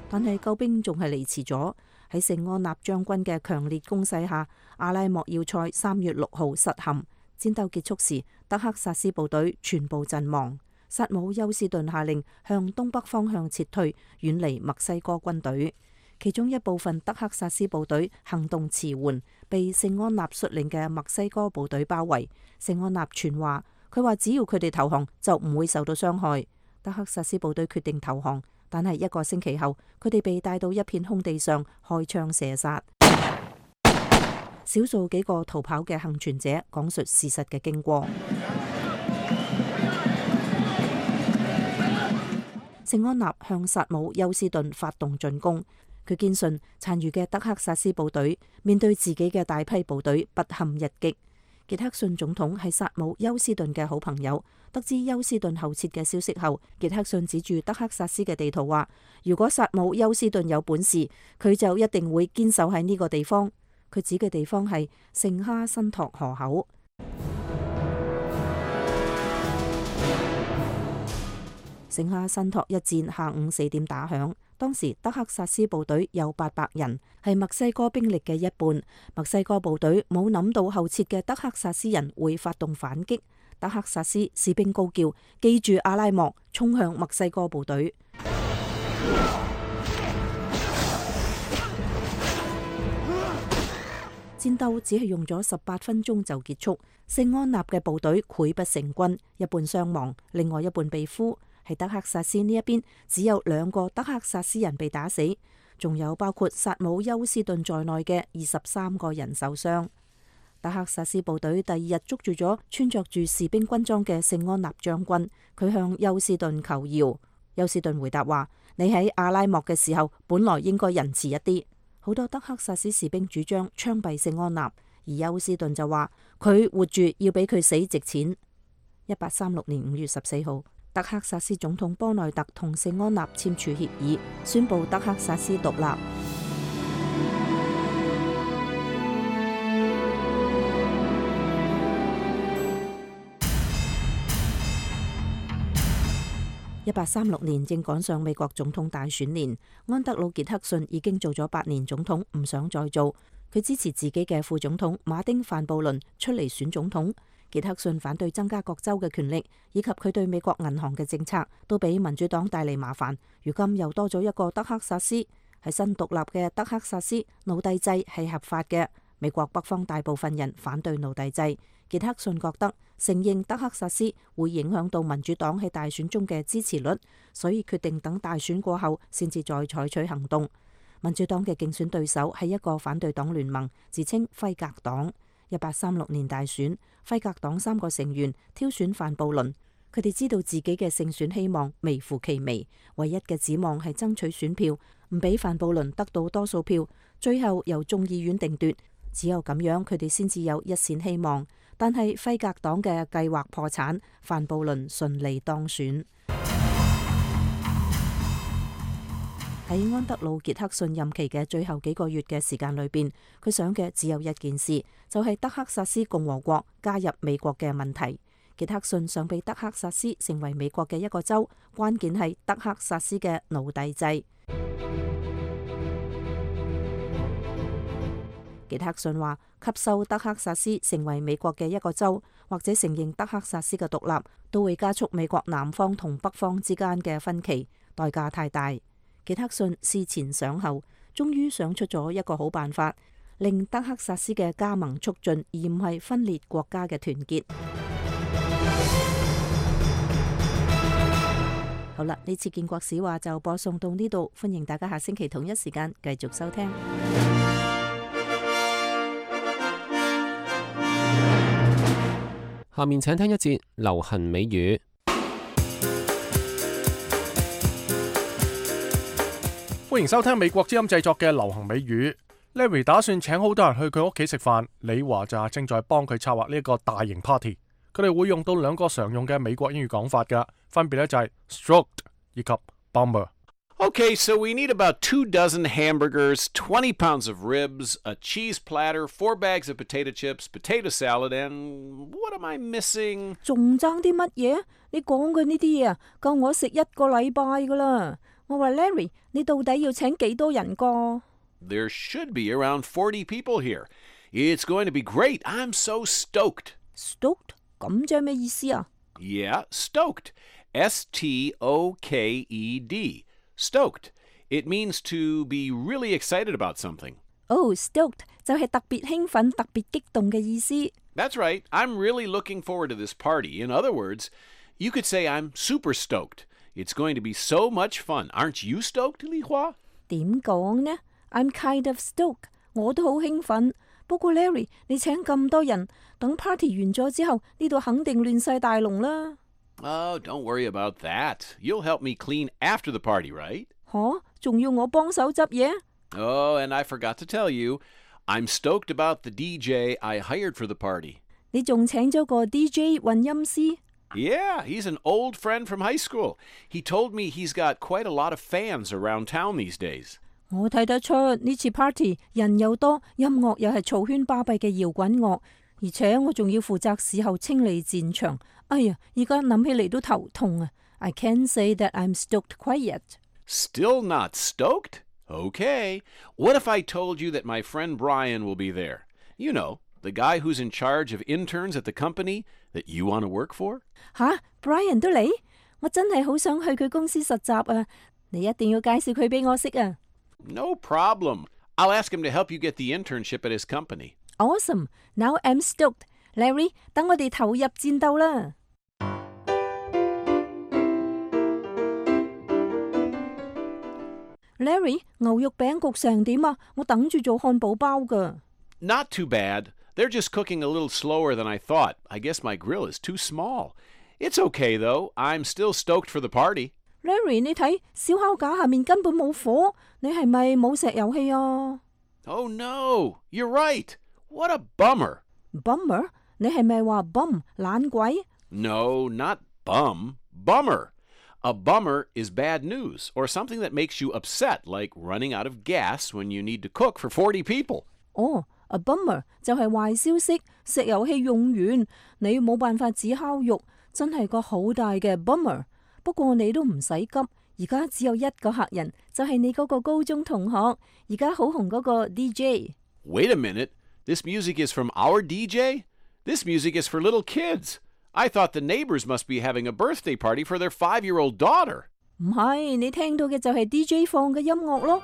但係救兵仲係嚟遲咗。喺聖安納將軍嘅強烈攻勢下，阿拉莫要塞3月6號失陷。戰鬥結束時，德克薩斯部隊全部陣亡。薩姆休斯頓下令向東北方向撤退，遠離墨西哥軍隊。其中一部分德克薩斯部隊行動遲緩，被聖安納率領嘅墨西哥部隊包圍。聖安納傳話，佢話只要佢哋投降，就唔會受到傷害。德克薩斯部隊決定投降。但係1個星期後，佢哋被帶到一片空地上開槍射殺。少數幾個逃跑嘅幸存者講述事實嘅經過。聖安納向薩姆休斯頓發動進攻，佢堅信殘餘嘅德克薩斯部隊面對自己嘅大批部隊不堪一擊。傑克遜總統係薩姆休斯頓嘅好朋友，得知休斯頓後撤嘅消息後，傑克遜指住德克薩斯嘅地圖話：如果薩姆休斯頓有本事，佢就一定會堅守喺呢個地方。佢指嘅地方係聖哈辛托河口。城下信托一戰下午4點打響，當時德克薩斯部隊有800人，係墨西哥兵力嘅一半。墨西哥部隊冇諗到後撤嘅德克薩斯人會發動反擊，德克薩斯士兵高叫：記住阿拉莫，衝向墨西哥部隊。戰鬥只係用咗18分鐘就結束，聖安納嘅部隊潰不成軍，一半傷亡，另外一半被俘。喺德克薩斯呢一邊，只有2個德克薩斯人被打死，仲有包括薩姆休斯頓在內嘅23個人受傷。德克薩斯部隊第2日捉住咗穿着住士兵軍裝嘅聖安納將軍，佢向休斯頓求饒。休斯頓回答話：你喺阿拉莫嘅時候，本來應該仁慈一啲。好多德克薩斯士兵主張槍斃聖安納，而休斯頓就話佢活住要比佢死值錢。1836年5月14號，德克薩斯總統波內特同聖安納簽署協議，宣布德克薩斯獨立。1836年正趕上美國總統大選年，安德魯傑克遜已經做咗8年總統，唔想再做。佢支持自己嘅副總統馬丁范布倫出嚟選總統。傑克遜反對增加各州嘅權力，以及佢對美國銀行嘅政策，都俾民主黨帶嚟麻煩。如今又多咗一個德克薩斯，喺新獨立嘅德克薩斯，奴隸制係合法嘅。美國北方大部分人反對奴隸制。傑克遜覺得承認德克薩斯會影響到民主黨喺大選中嘅支持率，所以決定等大選過後先至再採取行動。民主黨嘅競選對手係一個反對黨聯盟，自稱輝格黨。1836年大選，輝格黨3個成員挑選范布倫，佢哋知道自己嘅勝選希望微乎其微，唯一嘅指望係爭取選票，唔俾范布倫得到多數票，最後由眾議院定奪。只有咁樣，佢哋先至有一線希望。但係輝格黨嘅計劃破產，范布倫順利當選。喺安德魯傑克遜任期嘅最後幾個月嘅時間裏邊，佢想嘅只有一件事，就係德克薩斯共和國加入美國嘅問題。傑克遜想俾德克薩斯成為美國嘅一個州，關鍵係德克薩斯嘅奴隸制。傑克遜話：吸收德克薩斯成為美國嘅一個州，或者承認德克薩斯嘅獨立，都會加速美國南方同北方之間嘅分歧，代價太大。傑克遜思前想後，終於想出咗一個好辦法，令德克薩斯嘅加盟促進，而唔係分裂國家嘅團結。好啦，呢次建國史話就播送到呢度，歡迎大家下星期同一時間繼續收聽。下面請聽一節流行美語。歡迎收聽美國之音製作嘅流行美語。Larry 打算請好多人去佢屋企食飯，李華就正在幫佢策劃呢一個大型 party。佢哋會用到2個常用嘅美國英語講法㗎，分別咧就係 stroked 以及 bummer。Okay, so we need about 2 dozen hamburgers, 20 pounds of ribs, a cheese platter, 4 bags of potato chips, potato salad, and what am I missing? 仲爭啲乜嘢？你講嘅呢啲嘢啊，夠我食1個禮拜噶啦。我話 Larry， 你到底要請幾多人個？ There should be around 40 people here. It's going to be great. I'm so stoked. Stoked？ 咁即係咩意思啊？ Yeah, stoked. S-T-O-K-E-D. Stoked. It means to be really excited about something. Oh, stoked 就係特別興奮、特別激動嘅意思。 That's right. I'm really looking forward to this party. In other words, you could say I'm super stoked. It's going to be so much fun. Aren't you stoked, Li Hua? 點講呢？ I'm kind of stoked. 我都好興奮。不過 Larry， 你請咁多人，等 party 完咗之後，呢度肯定亂晒大龍啦。Oh, don't worry about that. You'll help me clean after the party, right? 吓，仲要我幫手執嘢？ Oh, and I forgot to tell you, I'm stoked about the DJ I hired for the party. 你仲請咗個 DJ 混音師？ Yeah, he's an old friend from high school. He told me he's got quite a lot of fans around town these days. 我睇得出呢次 party 人又多，音樂又係嘈喧巴閉嘅搖滾樂，而且我仲要負責事後清理戰場。哎呀，而家諗起嚟都頭痛啊 I can't say that I'm stoked quite yet. Still not stoked? Okay. What if I told you that my friend Brian will be there? You know, the guy who's in charge of interns at the company that you want to work for? 吓 Brian 都嚟？我真係好想去佢公司實習啊！你一定要介紹佢俾我識啊！ No problem. I'll ask him to help you get the internship at his company. Awesome. Now I'm stoked. Larry, 等我哋投入戰鬥啦！ Larry， 牛肉餅焗成點啊？我等住做漢堡包㗎。 Not too bad. They're just cooking a little slower than I thought. I guess my grill is too small. It's okay though. I'm still stoked for the party. Larry， 你睇燒烤架下面根本冇火，你係咪冇石油氣啊？ Oh no, you're right. What a bummer. Bummer？ 你係咪話 bum 懶鬼？ No, not bum. Bummer. A bummer is bad news or something that makes you upset, like running out of gas when you need to cook for 40 people. 哦，a bummer 就係壞消息，石油氣用完，你冇辦法煮烤肉，真係個好大嘅 bummer。不過你都唔使急，而家只有一個客人，就係你嗰個高中同學，而家好紅嗰個 DJ。 Wait a minute. This music is from our DJ? This music is for little kids. I thought the neighbors must be having a birthday party for their 5-year-old daughter. 唔係，你聽到嘅就係 DJ 放嘅音樂咯。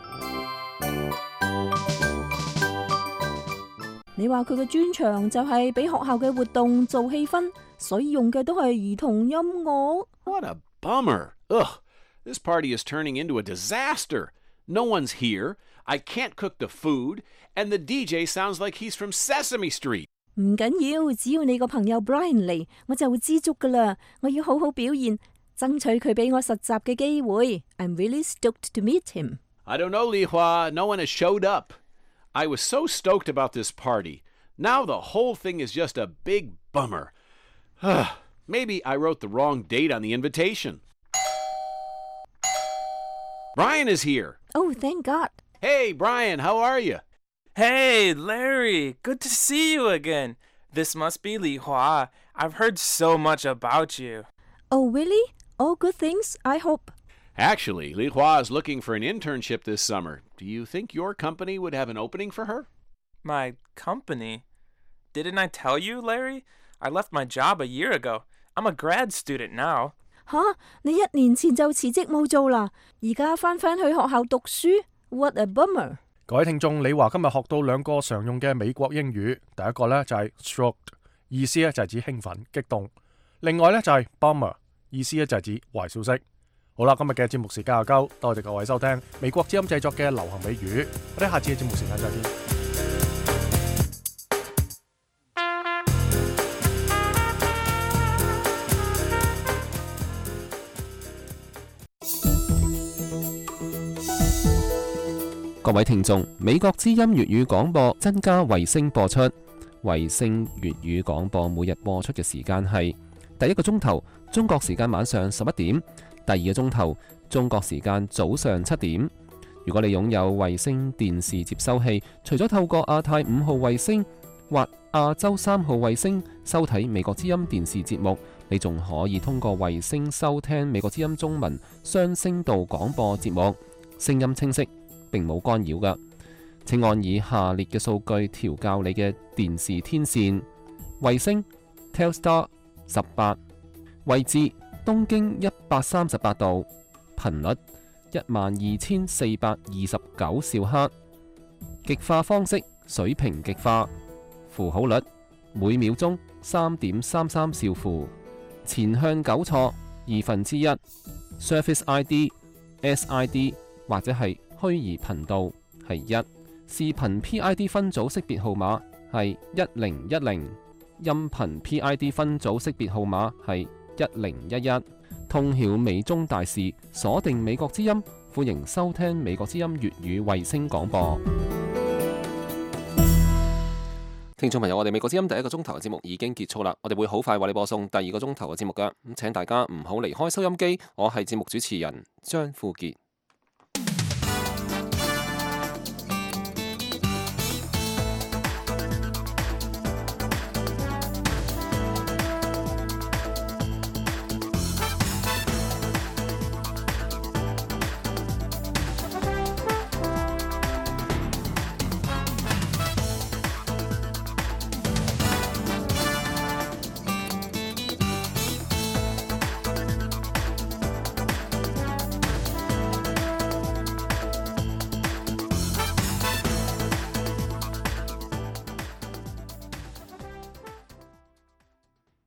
你話佢嘅專長就係俾學校嘅活動做氣氛，所以用嘅都係兒童音樂。 What a bummer. Ugh, this party is turning into a disaster. No one's here. I can't cook the food, and the DJ sounds like he's from Sesame Street. 唔緊要，只要你個朋友 Brian 嚟，我就會知足噶啦。我要好好表現，爭取佢俾我實習嘅機會。I'm really stoked to meet him. I don't know, Li Hua. No one has showed up. I was so stoked about this party. Now the whole thing is just a big bummer. Maybe I wrote the wrong date on the invitation. Brian is here. Oh, thank God. Hey, Brian, how are you? Hey, Larry. Good to see you again. This must be Li Hua. I've heard so much about you. Oh, really? All good things, I hope. Actually, Li Hua is looking for an internship this summer. Do you think your company would have an opening for her? My company? Didn't I tell you, Larry? I left my job a year ago. I'm a grad student now. 吓，你1年前就辭職冇做啦，而家返去學校讀書 ？What a bummer！ 各位聽眾，李華今日學到2個常用嘅美國英語，第一個呢就係 stoked， 意思呢就係指興奮、激動；另外呢就係 bummer， 意思呢就係指壞消息。好啦，今日嘅節目時間又夠，多謝各位收聽美國之音製作嘅流行美語，我哋下次嘅節目時間再見。各位聽眾，美國之音粵語廣播增加衛星播出。衛星粵語廣播每日播出嘅時間係第1個鐘頭中國時間晚上11點，第2個鐘頭中國時間早上7點。如果你擁有衛星電視接收器，除咗透過亞太5號衛星或亞洲3號衛星收睇美國之音電視節目，你仲可以通過衛星收聽美國之音中文雙聲道廣播節目，聲音清晰，並冇干擾㗎。請按以下列嘅數據調校你嘅電視天線：衛星 Telstar 18，位置東經138度，頻率12429兆赫，極化方式水平極化，符號率每秒鐘3.33兆符，前向糾錯1/2， Surface ID、SID 或者係虛擬頻道係1，視頻 PID 分組識別號碼係1010，音頻 PID 分組識別號碼係1011。通曉美中大事，鎖定美國之音，歡迎收聽美國之音粵語衛星廣播。聽眾朋友，我哋美國之音第1個鐘頭嘅節目已經結束啦，我哋會好快為你播送第2個鐘頭嘅節目㗎，咁請大家唔好離開收音機。我係節目主持人張富傑。